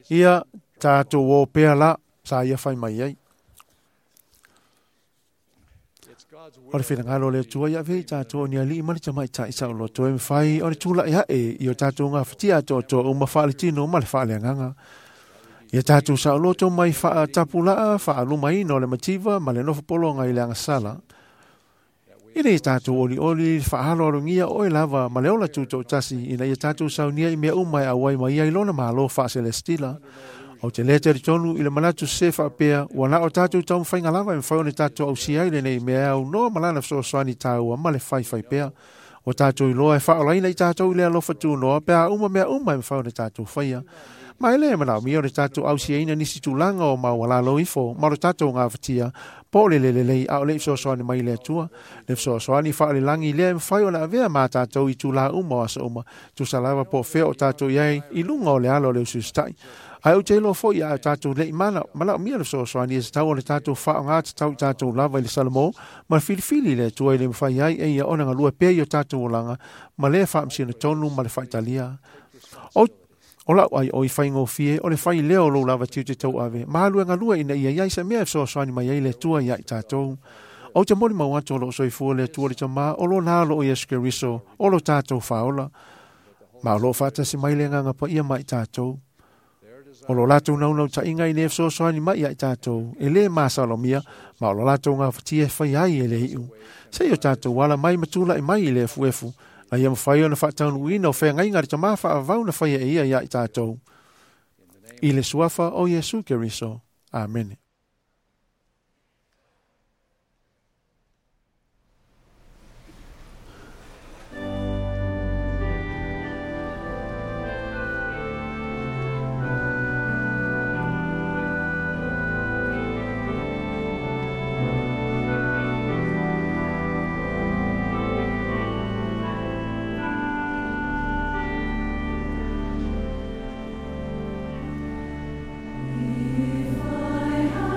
Ia, tatou o pea la, sa ia fai mai ai. O le finagalo o le Atua ia avea i tatou o ni alii ma le tamaitai saoloto e mafai o le tula'i ae i o tatou gafatia atoatoa uma faaletino ma le faaleagaga. Ia tatou saoloto mai faatapulaa faalumaina o le mativa ma le nofopologa i le agasala. Ina ia tatou olioli i le faaaloalogia oe lava ma le ola tutoatasi ina ia tatou saunia i mea uma e auai mai ai lona Malo faaselestila. Ou te le talitonu i le manatu sese faapea ua na o tatou taumafaiga lava e mafai ona tatou ausia ai lenei mea e aunoa ma lana fesoasoani taua ma le faifai pea. Ua tatou iloa e faaolaina i tatou i le alofa tunoa pe a uma mea uma e mafai ona tatou faia. Ma e le manaomia o le tatou ausiaina nisi tulaga o maualalo ifo ma lo tatou gafatia po o le le lelei a o le i fesoasoani mai le Atua. Le fesoasoani faalelagi lea e mafai ona avea ma tatou i itulā uma o aso uma, tusa lava po o fea o tatou i ai i luga o le ala o le usiusitai. Ae ou te iloa foi a o tatou le i manaomia le fesoasoani e tatau ona tatou faaaoga tatau i tatou lava i le Salamo ma le filifili i le Atua e le mafai ai e ia ona galue pea i o tatou olaga ma le faamasino tonu ma le faitalia. O lau ai o i faigofie o le fai lea o lou lava tiute tauave ma alu e galue ina ia i ai se mea e fesoasoani mai ai le Atua ia i tatou. Ou te molimau atu o loo soifua le Atua le Tamā o lona Alo o Iesu Keriso o lo tatou Faaola. Ma o loo faatasi mai le Agaga Paia ma i tatou. O lo latou naunautaiga ina ia fesoasoani mai ia i tatou e lē masalomia ma o lo latou gafatia e faia ai e le iu. Se i o tatou ala mai ma tula'i mai i le efuefu na ia mafai ona faataunuuina o feagaiga a le Tamā faavavau na faia e ia ia i tatou. I le suafa o Iesu Keriso. Amene. If I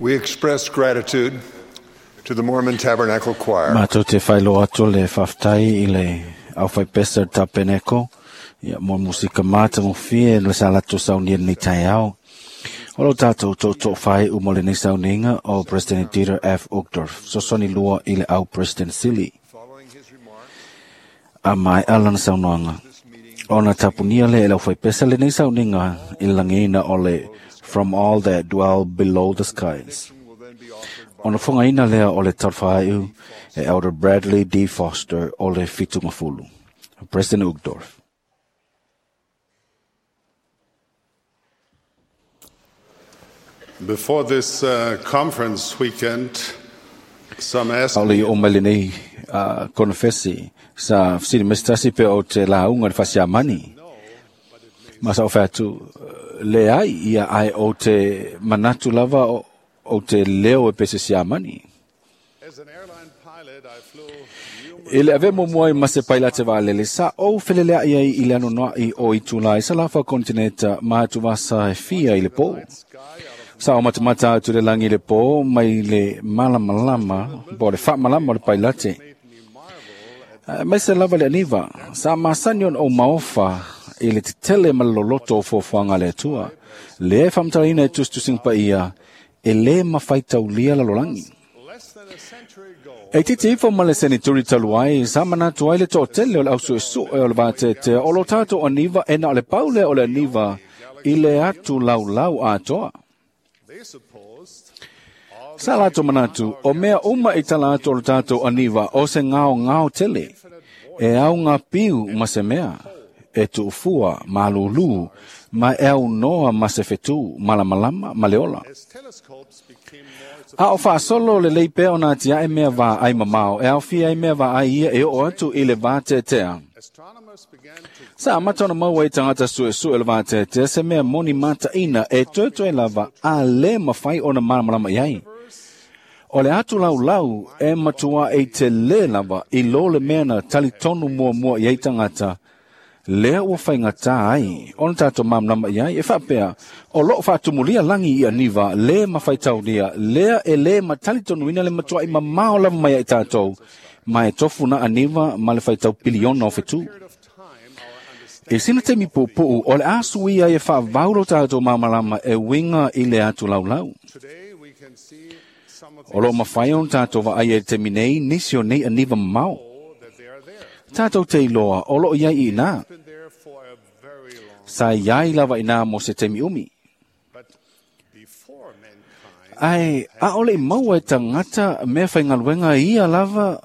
We express gratitude to the Mormon Tabernacle Choir. Mātou te whailoa atu le whaftai i le au whaipesa tapeneko. Ia mo musika māta mo fie le sa lato saunia ni tai ao. O lo tātou tō whai u mo le nei sauninga o President Dieter F. Uchtdorf. Sosoni lua i le au President Sili. A mai alana saunoanga. Ona tapunia le e lau whaipesa le nei sauninga i langina o le From All That Dwell Below the Skies. Ona whangaina lea o le tarwhaiu e Elder Bradley D. Foster o le Whitungafulu. President Uchtdorf. Before this conference weekend, some asked me... o mai lenei konfesi sa sini mestasi pe o te launga le fasiamani. Ma sa o whatu le ai ia ai o te manatu lava o te leo e pese siamani. I le ave momoa i mase pailate vaalele sa o felelea ia i le anonoa i o i tūlai sa lafa kontineta ma atu vasa e fia i le pō. Sa o matamata atu le langi le pō mai le malamalama, po le whaamalama o le pailate. Mai se lava le aniva, sa masani on o maofa i le tetele ma loloto o fuafuaga le Atua. Le e whamtarina e tustusinga pa ia, e le mawhaitaulia lalolangi. E titi ifo ma le senituri taluai, sa manatu ai le to'atele o le ausu'esu'e o le vateatea o lo tatou aniva e na o le paule o le aniva i le atu laulau atoa. Sa latou manatu, o mea uma i tala atu o le tatou aniva o se ngao ngao tele, e au ngā piu ma se mea, e tu'ufua, malūlū, ma e au noa ma se fetu, malamalama, ma le ola. A o whaasolo le lei pea o nā tia e mea vā ai mamao, e au fia ai mea vā ai ia e o atu i le vāteatea. Sa amata ona maua i tangata su'esu'e le vāteatea se mea moni mataina e toetoe lava a le mawhai ona malamalama i ai. O le atu laulau e matua e te le lava i lo le mea na talitonu muamua i ai tangata, lea ua whaingata ai, ona tātou malamalama i ai, e whaapea, o loo whaatumulia langi i aniva, le mawhaitaulia, lea e le matalitonuina le matua i mamao lava mai ai tātou, ma e tofu na aniva ma le whaitau piliona o whetū. E sina te mipupu'u, o le asu ia e whaavaulo tātou malamalama e winga i le atu laulau. O lo mawhai on tātou wa ai e te minei, nisi o nei aniva mamao. Tātou te iloa, o loo iai i nā. Sa iai lava i nā mo se temi umi. Ai, a ole i maua e tangata mea whaingaluenga ia lava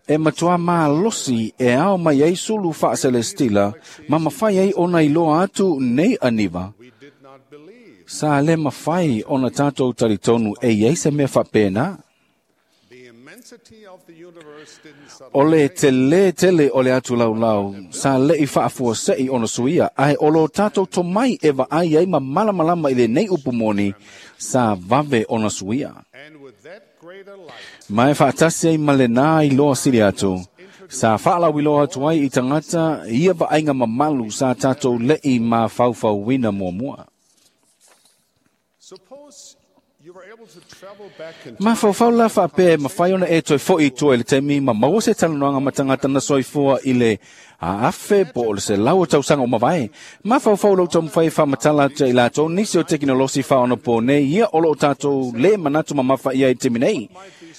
e matua malosi e ao mai ai sulu whaaselestila ma mawhai ai ona iloa atu nei aniva. Sa le mawhai ona tātou talitonu e iai se mea whapena. O le tele tele o le atu laulau, sa le i whaafua sei ona suia, ai o lo tātou tomai e wa ai ai ma malamalama i le nei upumoni, sa vave ona suia. Mai whaatasi ai ma le nā i loa sili atu, sa whaalau i loa atu ai i tangata, ia vaaiga mamalu sa tātou lei ma faufauina muamua. Ma faufau la whaapea mawhai ona e toi foi i tua i le temi ma maua se talanoaga ma tagata na soifua i le afe po o le se lau o tausaga o mavae. Ma faufau lau taumafai e faamatala atu i latou nisi o tekinolosi faaonapo nei ia o loo tatou lē manatu mamafa ia i temi nei.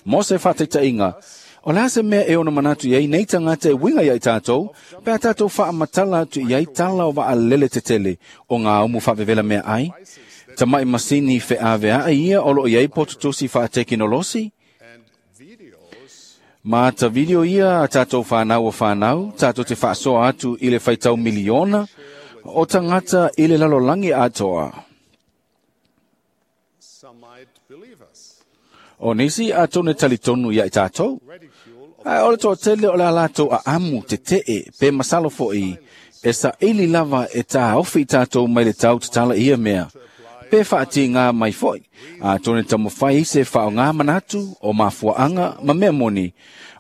Mo se faataitaiga, o le a se mea e ona manatu iai nei tagata e uiga ia i tatou, pe a tatou faamatala atu iai tala o vaalele tetele o ngā umu faavevela mea ai. Tamai masini feaveaʻe ia o loo iai pototosi faatekinolosi. Ma ta video ia a tatou whanau o whanau, tatou te whaasoa atu i le whaitau miliona, o tangata i le lalolangi atoa. O nisi a tone talitonu ia i tātou. Ai o le toatele o le alatou a amu te tee pe masalo fo'i e sa ili lava e tā ofi i tātou mai le tau tatala ia mea. Pe whaati ngā mai foi. A tone tamawhai se whao ngā manatu o mafuaanga ma mea moni.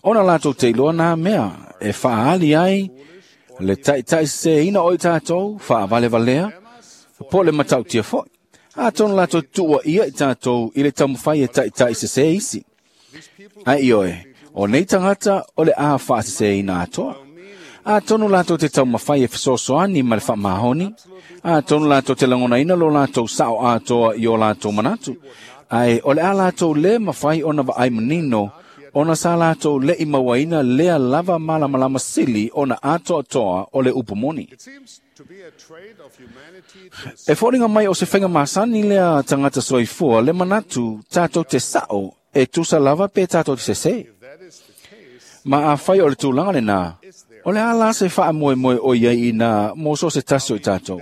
Ona lātou te iloa nā mea e whaali ai le taitai se ina o i tātou whaavalevalea po le matautia foi. Atonu latou tuuaia i tatou i le taumafai e taʻitaʻi sesē isi. Ae ioe, o nei tagata o le a faasesēina atoa. Atonu latou te taumafai e fesoasoani ma le faamahoni. Atonu latou te lagonaina lo latou sao atoa i o latou manatu. Ae o le a latou lē mafai ona vaai manino ona sa latou leʻi mauaina lea lava malamalama sili ona atoatoa o le upu moni. E foliga mai o se faiga masani lea tagata soifua le manatu tatou te sao e tusa lava pe tatou te sesē. Ma afai o le tulaga lenā, o le a la se faamoemoe o i ai inā mo so o se tasi o i tatou?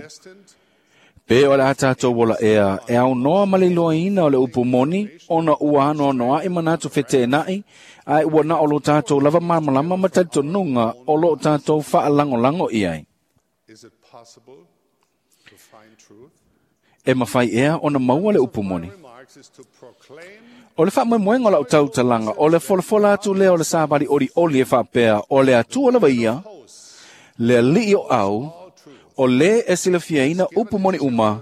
Pe o le a tatou ola ea e aunoa ma le iloaina o le upu moni ona ua anoanoaʻi manatu feteenaʻi, ae ua na o lo tatou lava malamalama ma talitonuga o loo tatou faalagolago i ai. E mafai ea ona maua le upu moni? O le faamoemoega o lau tautalaga o le folafola atu lea o le savali olioli e faapea o le Atua lava ia, le alii o au, o lē e silafiaina upu moni uma,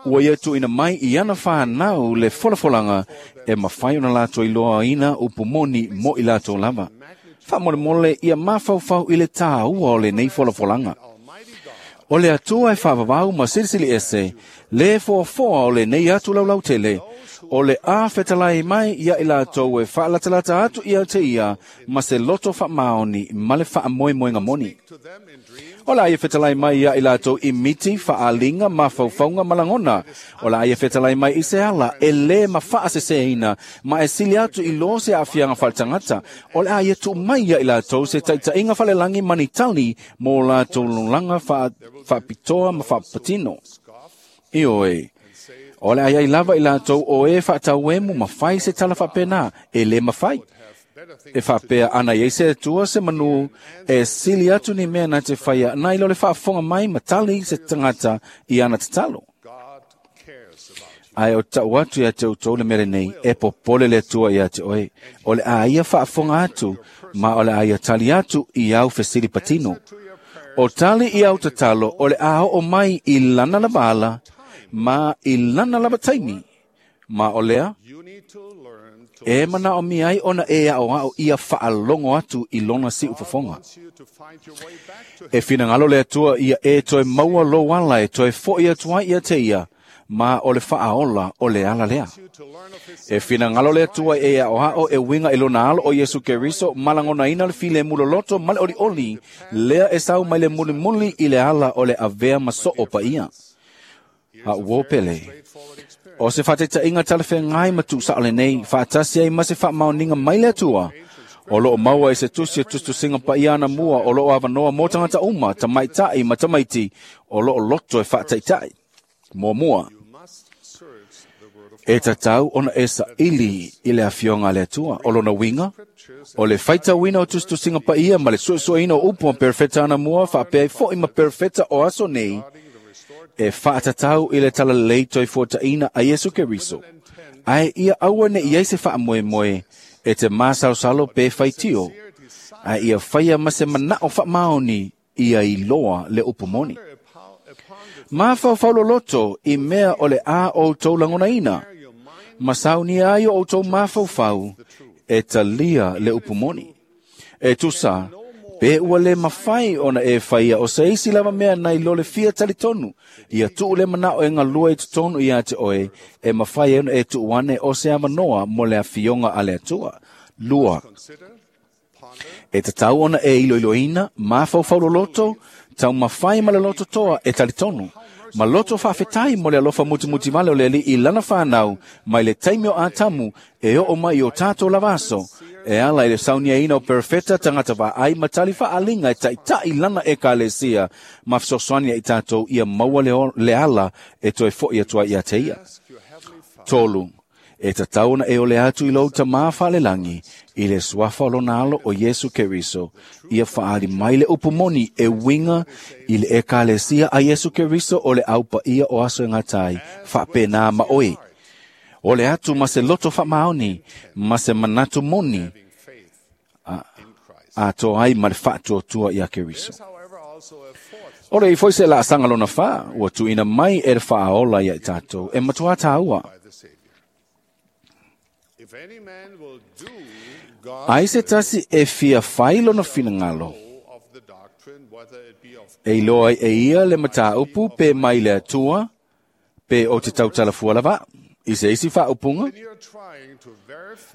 ua ia tuuina mai i ana fanau le folafolaga e mafai ona latou iloaina upu moni mo i latou lava. Faamolemole ia mafaufau i le tāua o lenei folafolaga. O le Atua e faavavau ma silisili ese, le foafoa o lenei atu laulautele, o le a fetalai mai ia i latou e faalatalata atu ia te ia ma se loto faamaoni ma le faamoemoega moni. O le a ia fetalai mai ia i latou i miti, faaliga, mafaufauga ma lagona. O le a ia fetalai mai i se ala e lē ma faasesēina ma e sili atu i lo se aafiaga faaletagata. O le a ia tuu mai ia i latou se taitaiga falelagi ma ni tali mo latou lolaga faapitoa ma faapatino. Ioe, o le a iai lava i latou o e faatauemu ma fai se tala faapena e lē mafai. E faapea ana iai se Atua se manu e sili atu ni mea na te faia nai lo le faafofoga mai ma tali se tagata i ana tatalo. Ae o tau atu ia te outou le mea lenei, e popole le Atua ia te oe. O le a ia faafofoga atu, ma o le a ia tali atu i au fesili patino. O tali i au tatalo o le a oo mai i lana lava ala, ma i lana lava taimi. Ma o lea, e manaomia ai ona e aʻoaʻo ia faalogo atu i lona siufofoga. E finagalo le Atua ia e toe maua lou ala e toe foʻi atu ai ia te ia, ma o le faaola o le ala lea. E finagalo le Atua e aʻoaʻo e uiga i lona alo o Iesu Keriso ma lagonaina le filemu loloto ma le olioli, lea e sau mai le mulimuli i le ala o le avea ma soo paia. A ua pele. O se faataitaiga talafeagai ma tuusao lenei, faatasi ai ma se faamaoniga mai le Atua. O loo maua i se tusi e tusitusiga paia ana mua o loo avanoa mo tagata uma, tamaitai ma tamaiti, o loo loto e faataitai. Muamua, e tatau ona e saili i le afioga a le Atua. O lona uiga, o le faitauina o tusitusiga paia ma le suesueina o upu ma perofeta ana mua faapea ai foi ma perofeta o aso nei, e faatatau i le talalelei toe fuataʻina a Iesu Keriso. Ae ia aua ne i ai se faamoemoe e te masalosalo pe faitio, ae ia faia ma se manao faamaoni ia iloa le upu moni. Mafaufau loloto i mea o le a outou lagonaina, ma saunia ai o outou mafaufau e talia le upu moni. E tusa, pe ua le mafai ona e faia o se isi lava mea nai lo le fia talitonu, ia tuu le manao e galua i totonu ia te oe, e mafai ai ona e tuu ane o se avanoa mo le afioga a le Atua. 2. E tatau ona e iloiloina, mafaufau loloto, taumafai ma le loto toa e talitonu, ma loto faafetai mo le alofa mutimutivale o le Alii i lana fanau mai le taimi o Atamu e oo mai i o tatou lava aso, e ala i le sauniaina o perofeta tagata vaai ma tali faaliga e taʻitaʻi lana ekalesia ma fesoasoani ai tatou ia maua le ala e toe foʻi atu ai ia te ia. 3. E tatau ona e ole atu i lou tamā faalelagi i le suafa o lona alo o Iesu Keriso, ia faali mai le upu moni e uiga i le ekalesia a Iesu Keriso o le aupaia o aso e gata ai, faapena ma oe. O le atu ma se loto faamaoni, ma se manatu moni, atoa ai ma le faatuatua ia Keriso. O le ifo se la sanga lona fa, ua tuuina mai e le faaola ia i tatou, e matuā tāua. Ai se tasi e fia fai lona finagalo, e iloa ai e ia le mataupu pe mai le Atua, pe o te tautalafua lava, i se isi faaupuga.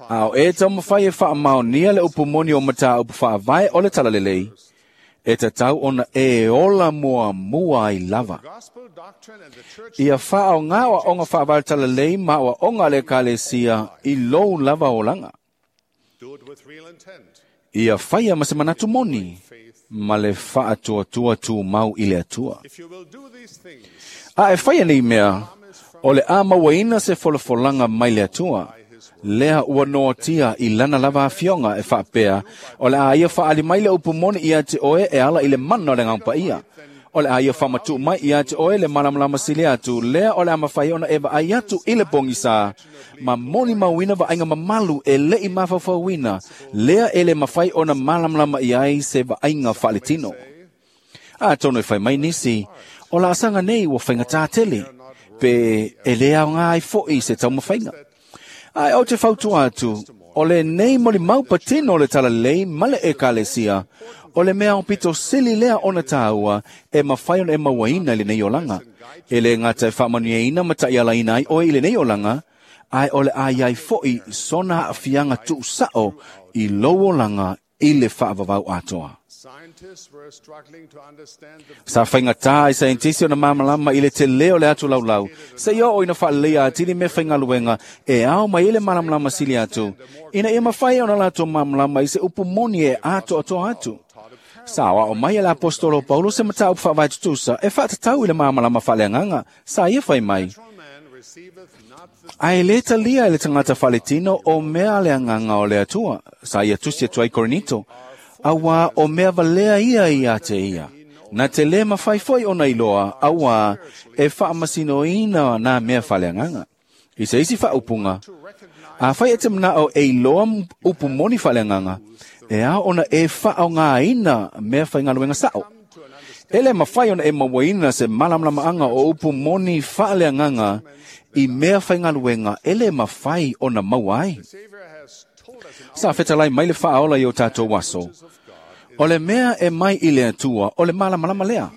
A o e taumafai e faamaonia le upu moni o mataupu faavae o le talalelei, e tatau ona e ola muamua ai lava. Ia faaoga aoaoga faavae o le talalelei ma aoaoga a le Ekalesia i lou lava olaga. Ia faia ma se manatu moni, ma le faatuatua tumau i le Atua. A e faia nei mea, o le a mauaina se folafolaga mai le Atua, lea ua noatia i lana lava afioga e faapea, o le a ia faaali mai le upu moni ia te oe e ala i le mana o le Agaga Paia. O le a ia faamatuu mai ia te oe le malamalama sili atu, lea o le a mafai ona e vaai atu i le pogisa, ma molimauina vaaiga mamalu e le'i mafaufauina, lea e le mafai ona malamalama i ai se vaaiga faaletino. Atonu e fai mai nisi, o laasaga nei ua faigata tele, pe e lē aoga ai fo'i se taumafaiga. Ae ou te fautua atu, o lenei molimau patino o le talalelei ma le Ekalesia, o le mea aupito sili lea ona tāua e mafai ona e mauaina i lenei olaga. E lē gata e faamanuiaina ma taʻialaina ai oe i lenei olaga, ae o le a i ai foʻi sona aafiaga tuusao i lou olaga i le faavavau atoa. Sa faigata ai saienitisi ona malamalama i le telē o le atu laulau, seia oo ina faaleleia atili mea faigaluega e ao mai ai le malamalama sili atu, ina ia mafai ona latou malamalama i se upu moni e atoatoa atu. Sa aoao mai e le aposetolo o Paulo se mataupu faavae tutusa e faatatau i le malamalama faaleagaga, sa ia fai mai, Ae lē talia e le tagata faaletino o mea a le Agaga o le Atua, sa ia tusi atu ai i Korinito, auā o mea valea ia ia te ia. Na te lē mafai foi ona iloa, auā e faamasinoina nā mea faaleagaga. I se isi faaupuga, afai e te manao e iloa upu moni faaleagaga, e ao ona e faaaogaina mea faigaluega sao. E le mafai ona e mauaina se malamalamaaga o upu moni faaleagaga i mea faigaluega e le mafai ona maua ai. Sa fetalai mai le faaola i o tatou aso, o le mea e mai i le Atua o le malamalama lea.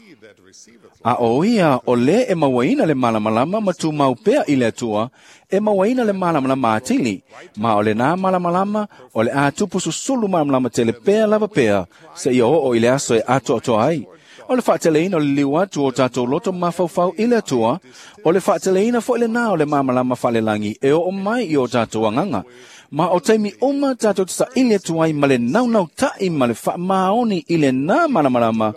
A o ia o lē e mauaina le malamalama ma tumau pea i le Atua, e mauaina le malamalama atili, ma o lenā malamalama o le a tupu susulu malamalama tele pea lava pea, seia oo i le aso e atoatoa ai. O le faateleina o le liliu atu o tatou loto mafaufau i le Atua, o le faateleina foi lenā o le malamalama faalelagi e oo mai i o tatou agaga. Ma o taimi uma tatou te saili atu ai ma le naunautai ma le faamaoni i lenā malamalama,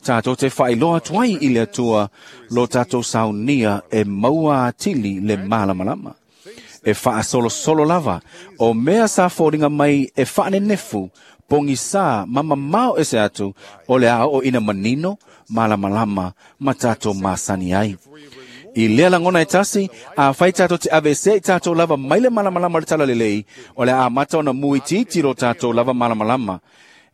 tatou te faailoa atu ai i le Atua lo tatou saunia e maua atili le malamalama. E faasolosolo lava, o mea sa foliga mai e faanenefu, pogisā ma mamao ese atu, o le a oo ina manino, malamalama ma tatou masani ai. I lea lagona e tasi, afai tatou te aveesea i tatou lava mai le malamalama o le talalelei, o le a amata ona muitiiti lo tatou lava malamalama.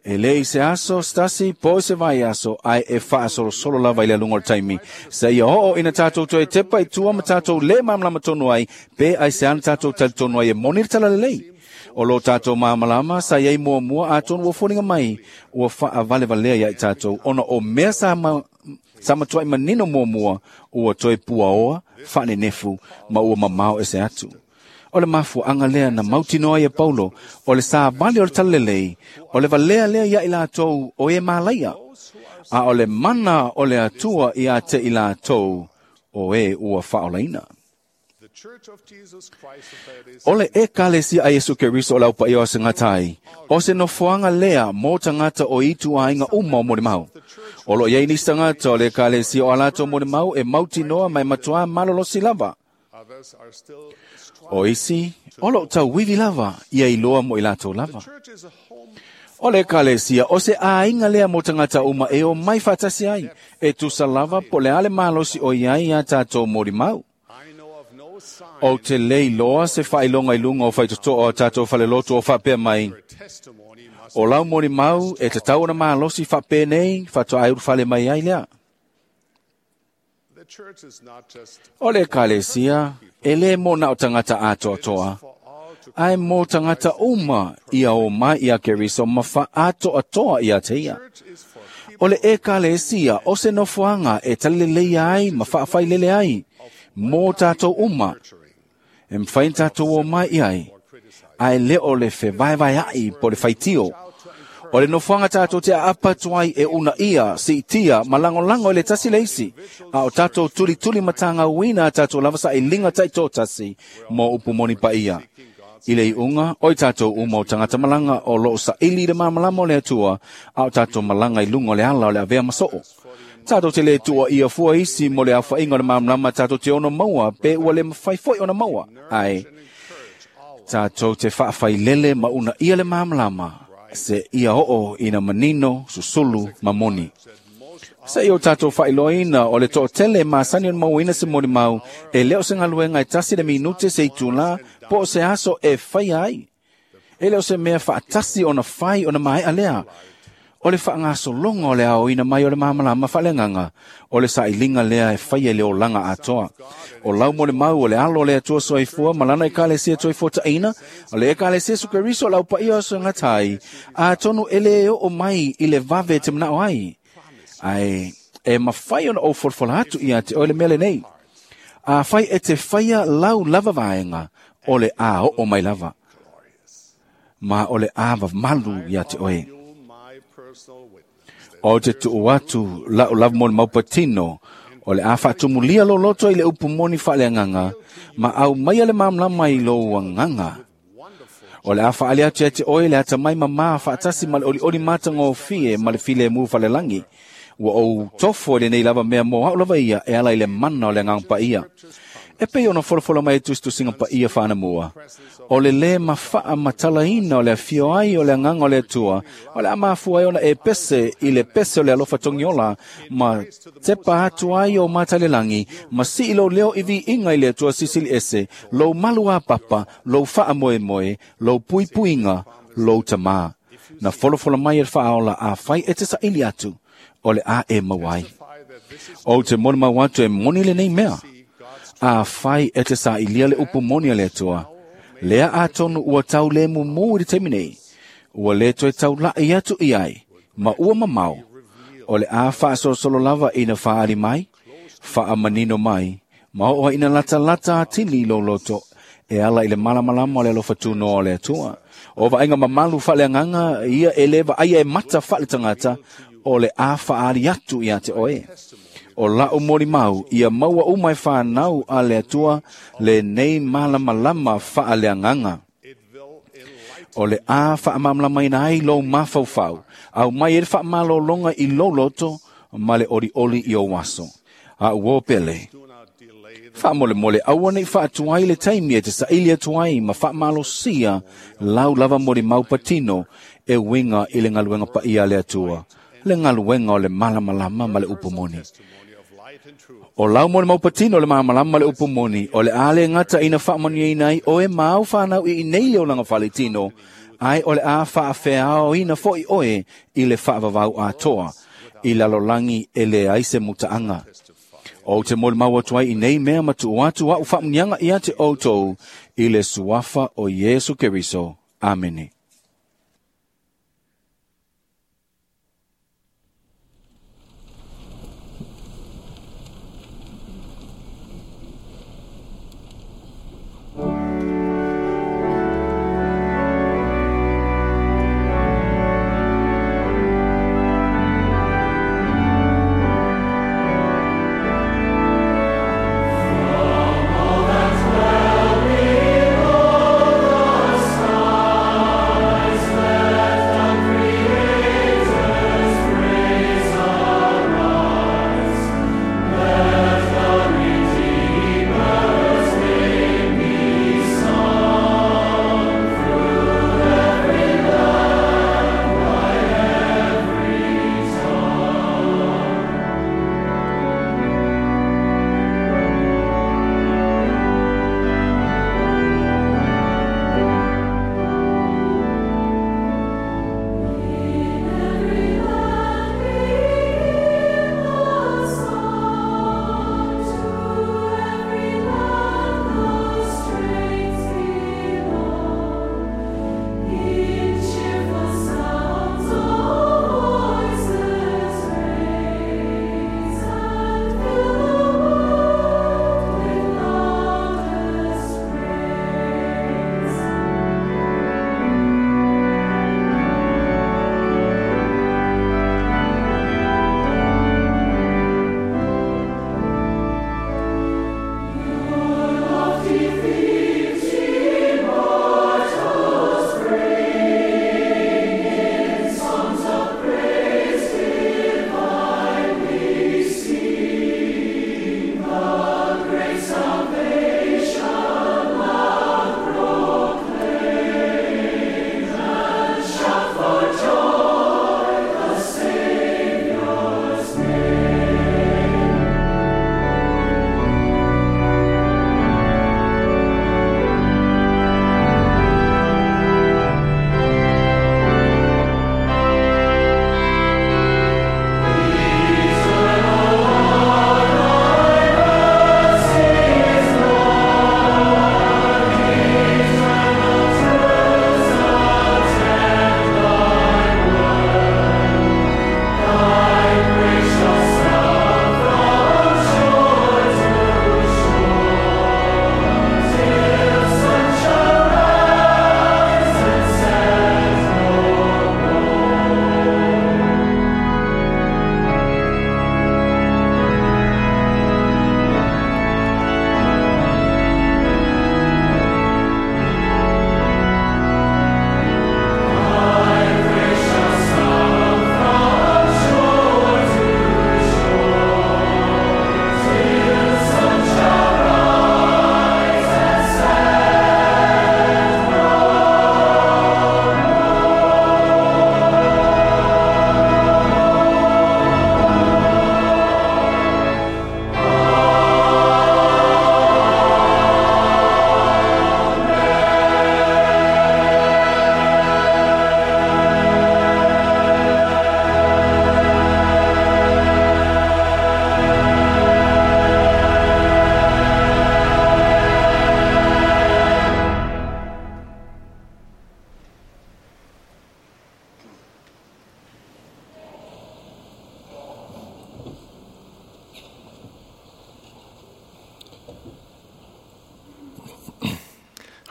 E lē i se aso se tasi po o se vaiaso, ae e faasolosolo lava i le aluga o le taimi, seia oo ina tatou toe tepa i tua ma tatou lē malamalama tonu ai, pe aisea na tatou talitonu ai e moni le talalelei. O lo tatou malamalama sa i ai muamua atonu ua foliga mai, ua faavalevalea ia i tatou, ona o mea sa ma, sa matuai manino muamua, ua toe puaoa, faanenefu, ma ua mamao ese atu. O le mafuaaga lea na mautinoa ai e Paulo, o le savali o le talalelei, o le valea lea ia i latou o e malaia, a o le mana o le Atua ia te i latou o e ua faaolaina. O le Ekalesia a Iesu Keriso o le Aupaia o Aso e Gata ai, o se nofoaga lea mo tagata o ituaiga uma o molimau. O loo i ai nisi tagata o le Ekalesia o a latou molimau e mautinoa ma e matuā malolosi lava. O isi, o loo tauivi lava ia iloa mo i latou lava. O le Ekalesia, o se aiga lea mo tagata uma e omai faatasi ai, e tusa lava po o le a le malosi o i ai iā tatou molimau. Ou te le iloa se faailoga i luga o faitotoa o tatou falelotu o faapea mai, o lau molimau e tatau ona malosi faapenei faatoa e ulufale mai ai lea. O le ekalesia, e lē mo na o tagata atoatoa, ae mo tagata uma ia o mai ia Keriso ma fa'atoatoa ia te ia. O le ekalesia o se nofoaga e talileleia ai ma fa'afailele ai mo tatou uma, e mafai ona tatou o mai i ai, ae lē o le fevaevaea'i po le faitio. O le nofoaga tatou te aapa atu ai e unaia, siitia ma lagolago i le tasi le isi, a o tatou tulituli matagauina a tatou lava sailiga taitoatasi mo upu moni paia. I le iuga, o i tatou uma o tagata malaga o loo saili i le malamalama o le Atua, a o tatou malaga i luga o le ala o le avea ma soo. Tatou te lē tuuaia fua isi mo le aofaʻiga o le malamalama tatou te ono maua pe ua le mafai foi ona maua, ae tatou te faafailele ma unaia le malamalama se ia oo ina manino, susulu ma moni. Se i o tatou faailoaina o le toatele masani ona mauaina se molimau e lē o se galuega e tasi le minute se itulā po o se aso e faia ai. E lē o se mea faatasi ona fai ona maeʻa lea. O le faagasologa o le aoina mai o le malamalama faaleagaga, o le sailiga lea e faia i le olaga atoa. O lau mo le mau o le alo o le Atua soifua ma lana ekalesia toifuataʻina, o le ekalesia Iesu Keriso o le aupaia o segata ai, atonu e lē oo mai i le vave te manaʻo ai. Ae e mafai ona ou folafola atu ia te oe le mea lenei. Afai e te faia lau lava vaega, o le a oo mai lava. Ma o le a mamalu ia te oe. O te tuu atu la'u lava mo le maupatino, o le a faatumulia loloto i le upu moni faaleagaga, ma aumaia le malamalama i lou agaga. O le a faaali atu ia te oe le atamai mamā faatasi ma le olioli matagofie ma le filemu falelagi. Ua ou tofo i lenei lava mea mo a'u lava ia e ala i le mana o le agaga paia. E pei ona folafola mai e tusitusiga paia faanamua. O le lē mafaamatalaina o le afio ai o le agaga o le Atua, o le a mafua ai ona e pese i le pese o le alofa togiola, ma tepa atu ai o matalelagi, ma sii lou leo i viiga i le Atua Silisili Ese, lou malu apapa, lou faamoemoe, lou puipuiga, lou tamā. Na folafola mai e le Faaola afai e te saili atu, o le a e maua ai. Ou te molimau atu e moni lenei mea. Afai e te sailia le upu moni a le Atua, lea atonu ua tau lē mumū i le taimi nei, ua lē toe taulaʻi atu i ai, ma ua mamao, o le a faasolosolo lava ina faaali mai, faamanino mai, ma oo ai ina latalata atili i lou loto, e ala i le malamalama o le alofa tunoa o le Atua. O vaaiga mamalu faaleagaga ia e lē vaaia e mata faaletagata, o le a faaali atu ia te oe. O la'u molimau ia maua uma e fanau a le Atua lenei malamalama faaleagaga. O le a faamalamalamaina ai lou mafaufau, aumai ai le faamalologa i lou loto ma le olioli i ou aso. A'u o pele. Faamolemole aua nei faatuai le taimi e te saili atu ai ma faamalosia lau lava molimau patino e uiga i le galuega paia a le Atua, le galuega o le malamalama ma le upu moni. O lau molimau patino o le malamalama ma le upu moni, o le a le gata ina faamanuiaina ai oe ma au fanau i inei le olaga faletino, ae o le a faafeaoina foʻi oe i le faavavau atoa, i lalolagi e leai se mutaaga. Ou te molimau atu ai i nei mea ma tuu atu a'u faamuniaga ia te outou i le suafa o Iesu Keriso. Amene. From all that well below the sun.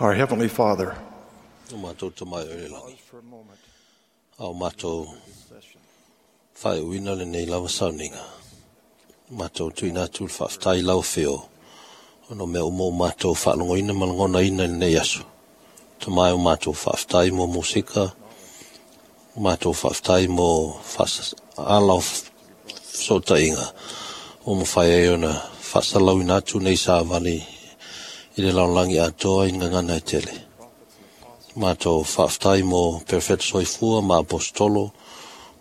Our Heavenly Father, O mātou te mai o le langi. A o mātou whai uina le nei lava sauninga. Mātou tuina atu le whaaftai lau whio. Ono mea umo o mātou whaalongoina malangona ina le nei aso. Te mai o mātou whaaftai mo musika. Mātou whaaftai mo ala o sotainga. O mo whai e ona whaasalauina atu nei sāvali i le laulangi atoa i ngangana e tele. Mātou whaaftai mo Perfect Soifua ma Apostolo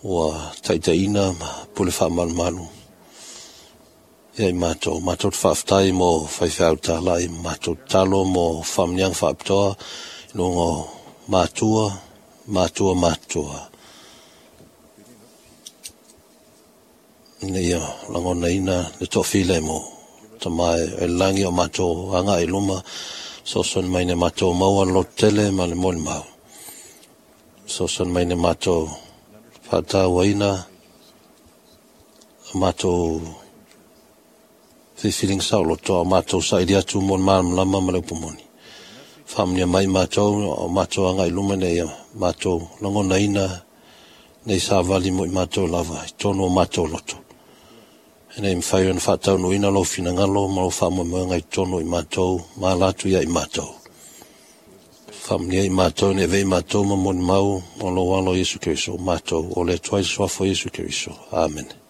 ua taitaina ma pule whaamalumalu. Ia i mātou, mātou whaaftai mo whaiwhiau tālai, mātou talo mo whamniang whaaptoa, nungo mātua, mātua, mātua. Ina ia langona ina le toafile mo ta mai e langi o mātou anga i luma, so son mai ne mātou maua lo tele ma le moni mau. So son mai ne mātou whaatauaina, mātou whiwhiringa sao loto, a mātou sa iri atu mo mālamlama ma le upumoni. Whaamnia mai mātou, o mātou anga i luma nei, mātou langona ina nei sa vali mo i mātou lava, i tono o mātou loto. E nei mwhai ona whaatau ina lo whinangalo, ma lo whaamoemoenga i tono i mātou, mā latu ia i mātou. Whaamnia i mātou, ne vei mātou ma moni mau, o lo walo Yesu Keriso, mātou, o le tuai soafo Yesu Keriso. Amen.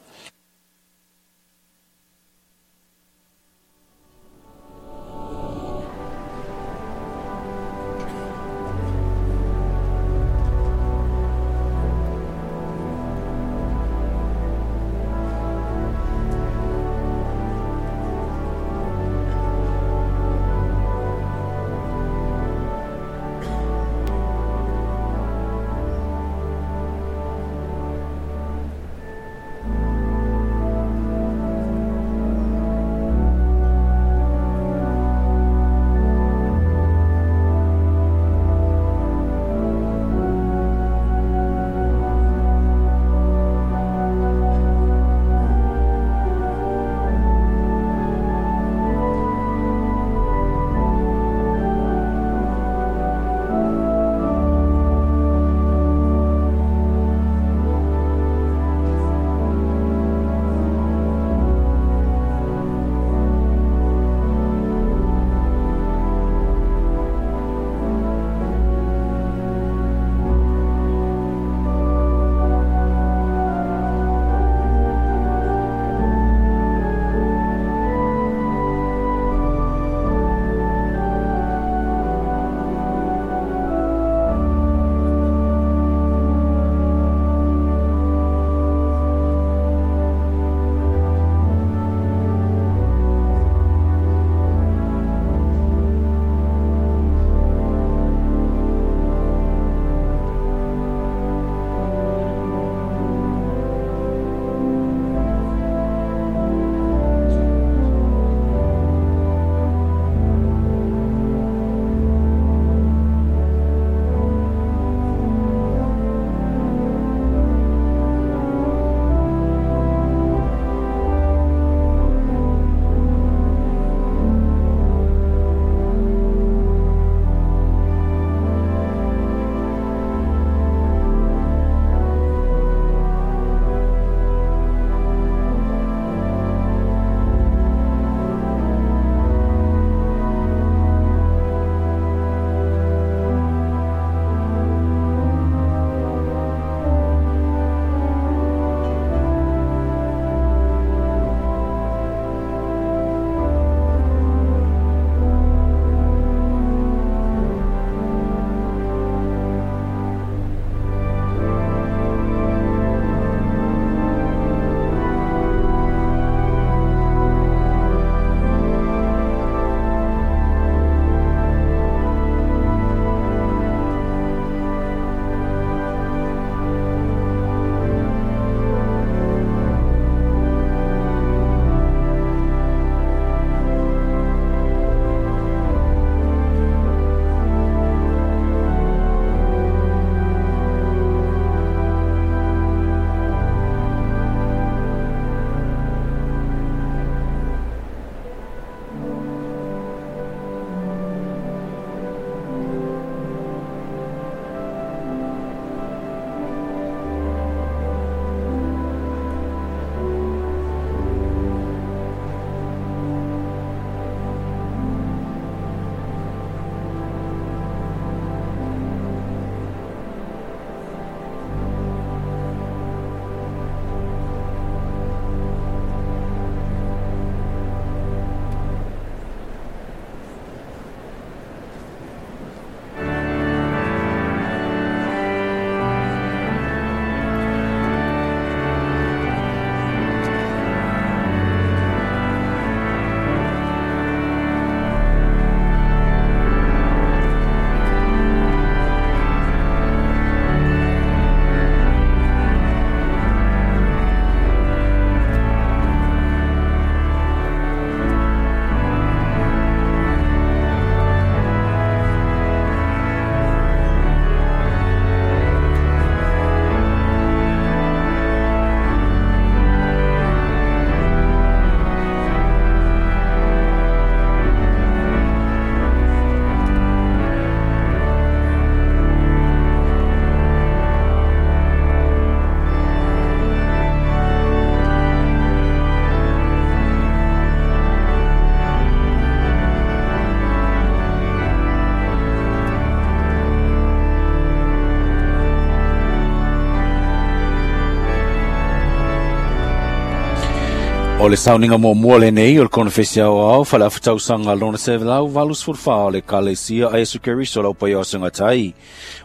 O le sauniga muamua lenei o le Konofesi Aoao faale-afa-tausaga lona 184 o le Ekalesia a Iesu Keriso o le Aupaia o Segatai.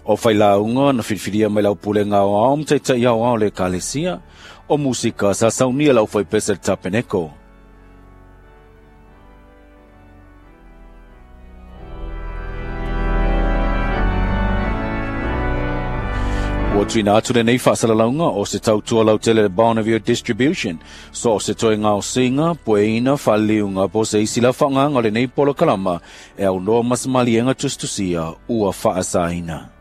O failauga na filifilia mai lau pulega aoao ma taita'i aoao o le Ekalesia. O musika sa saunia lau faipese le tapeneko. Ua tuuina atu lenei faasalalauga o se tautua lautele le Bonneville Distribution. So o se toe gaosiga, pueina, faaliliuga po o se isi la faaaogaga o lenei polokalama e aunoa ma se maliega tusitusia ua faasaina.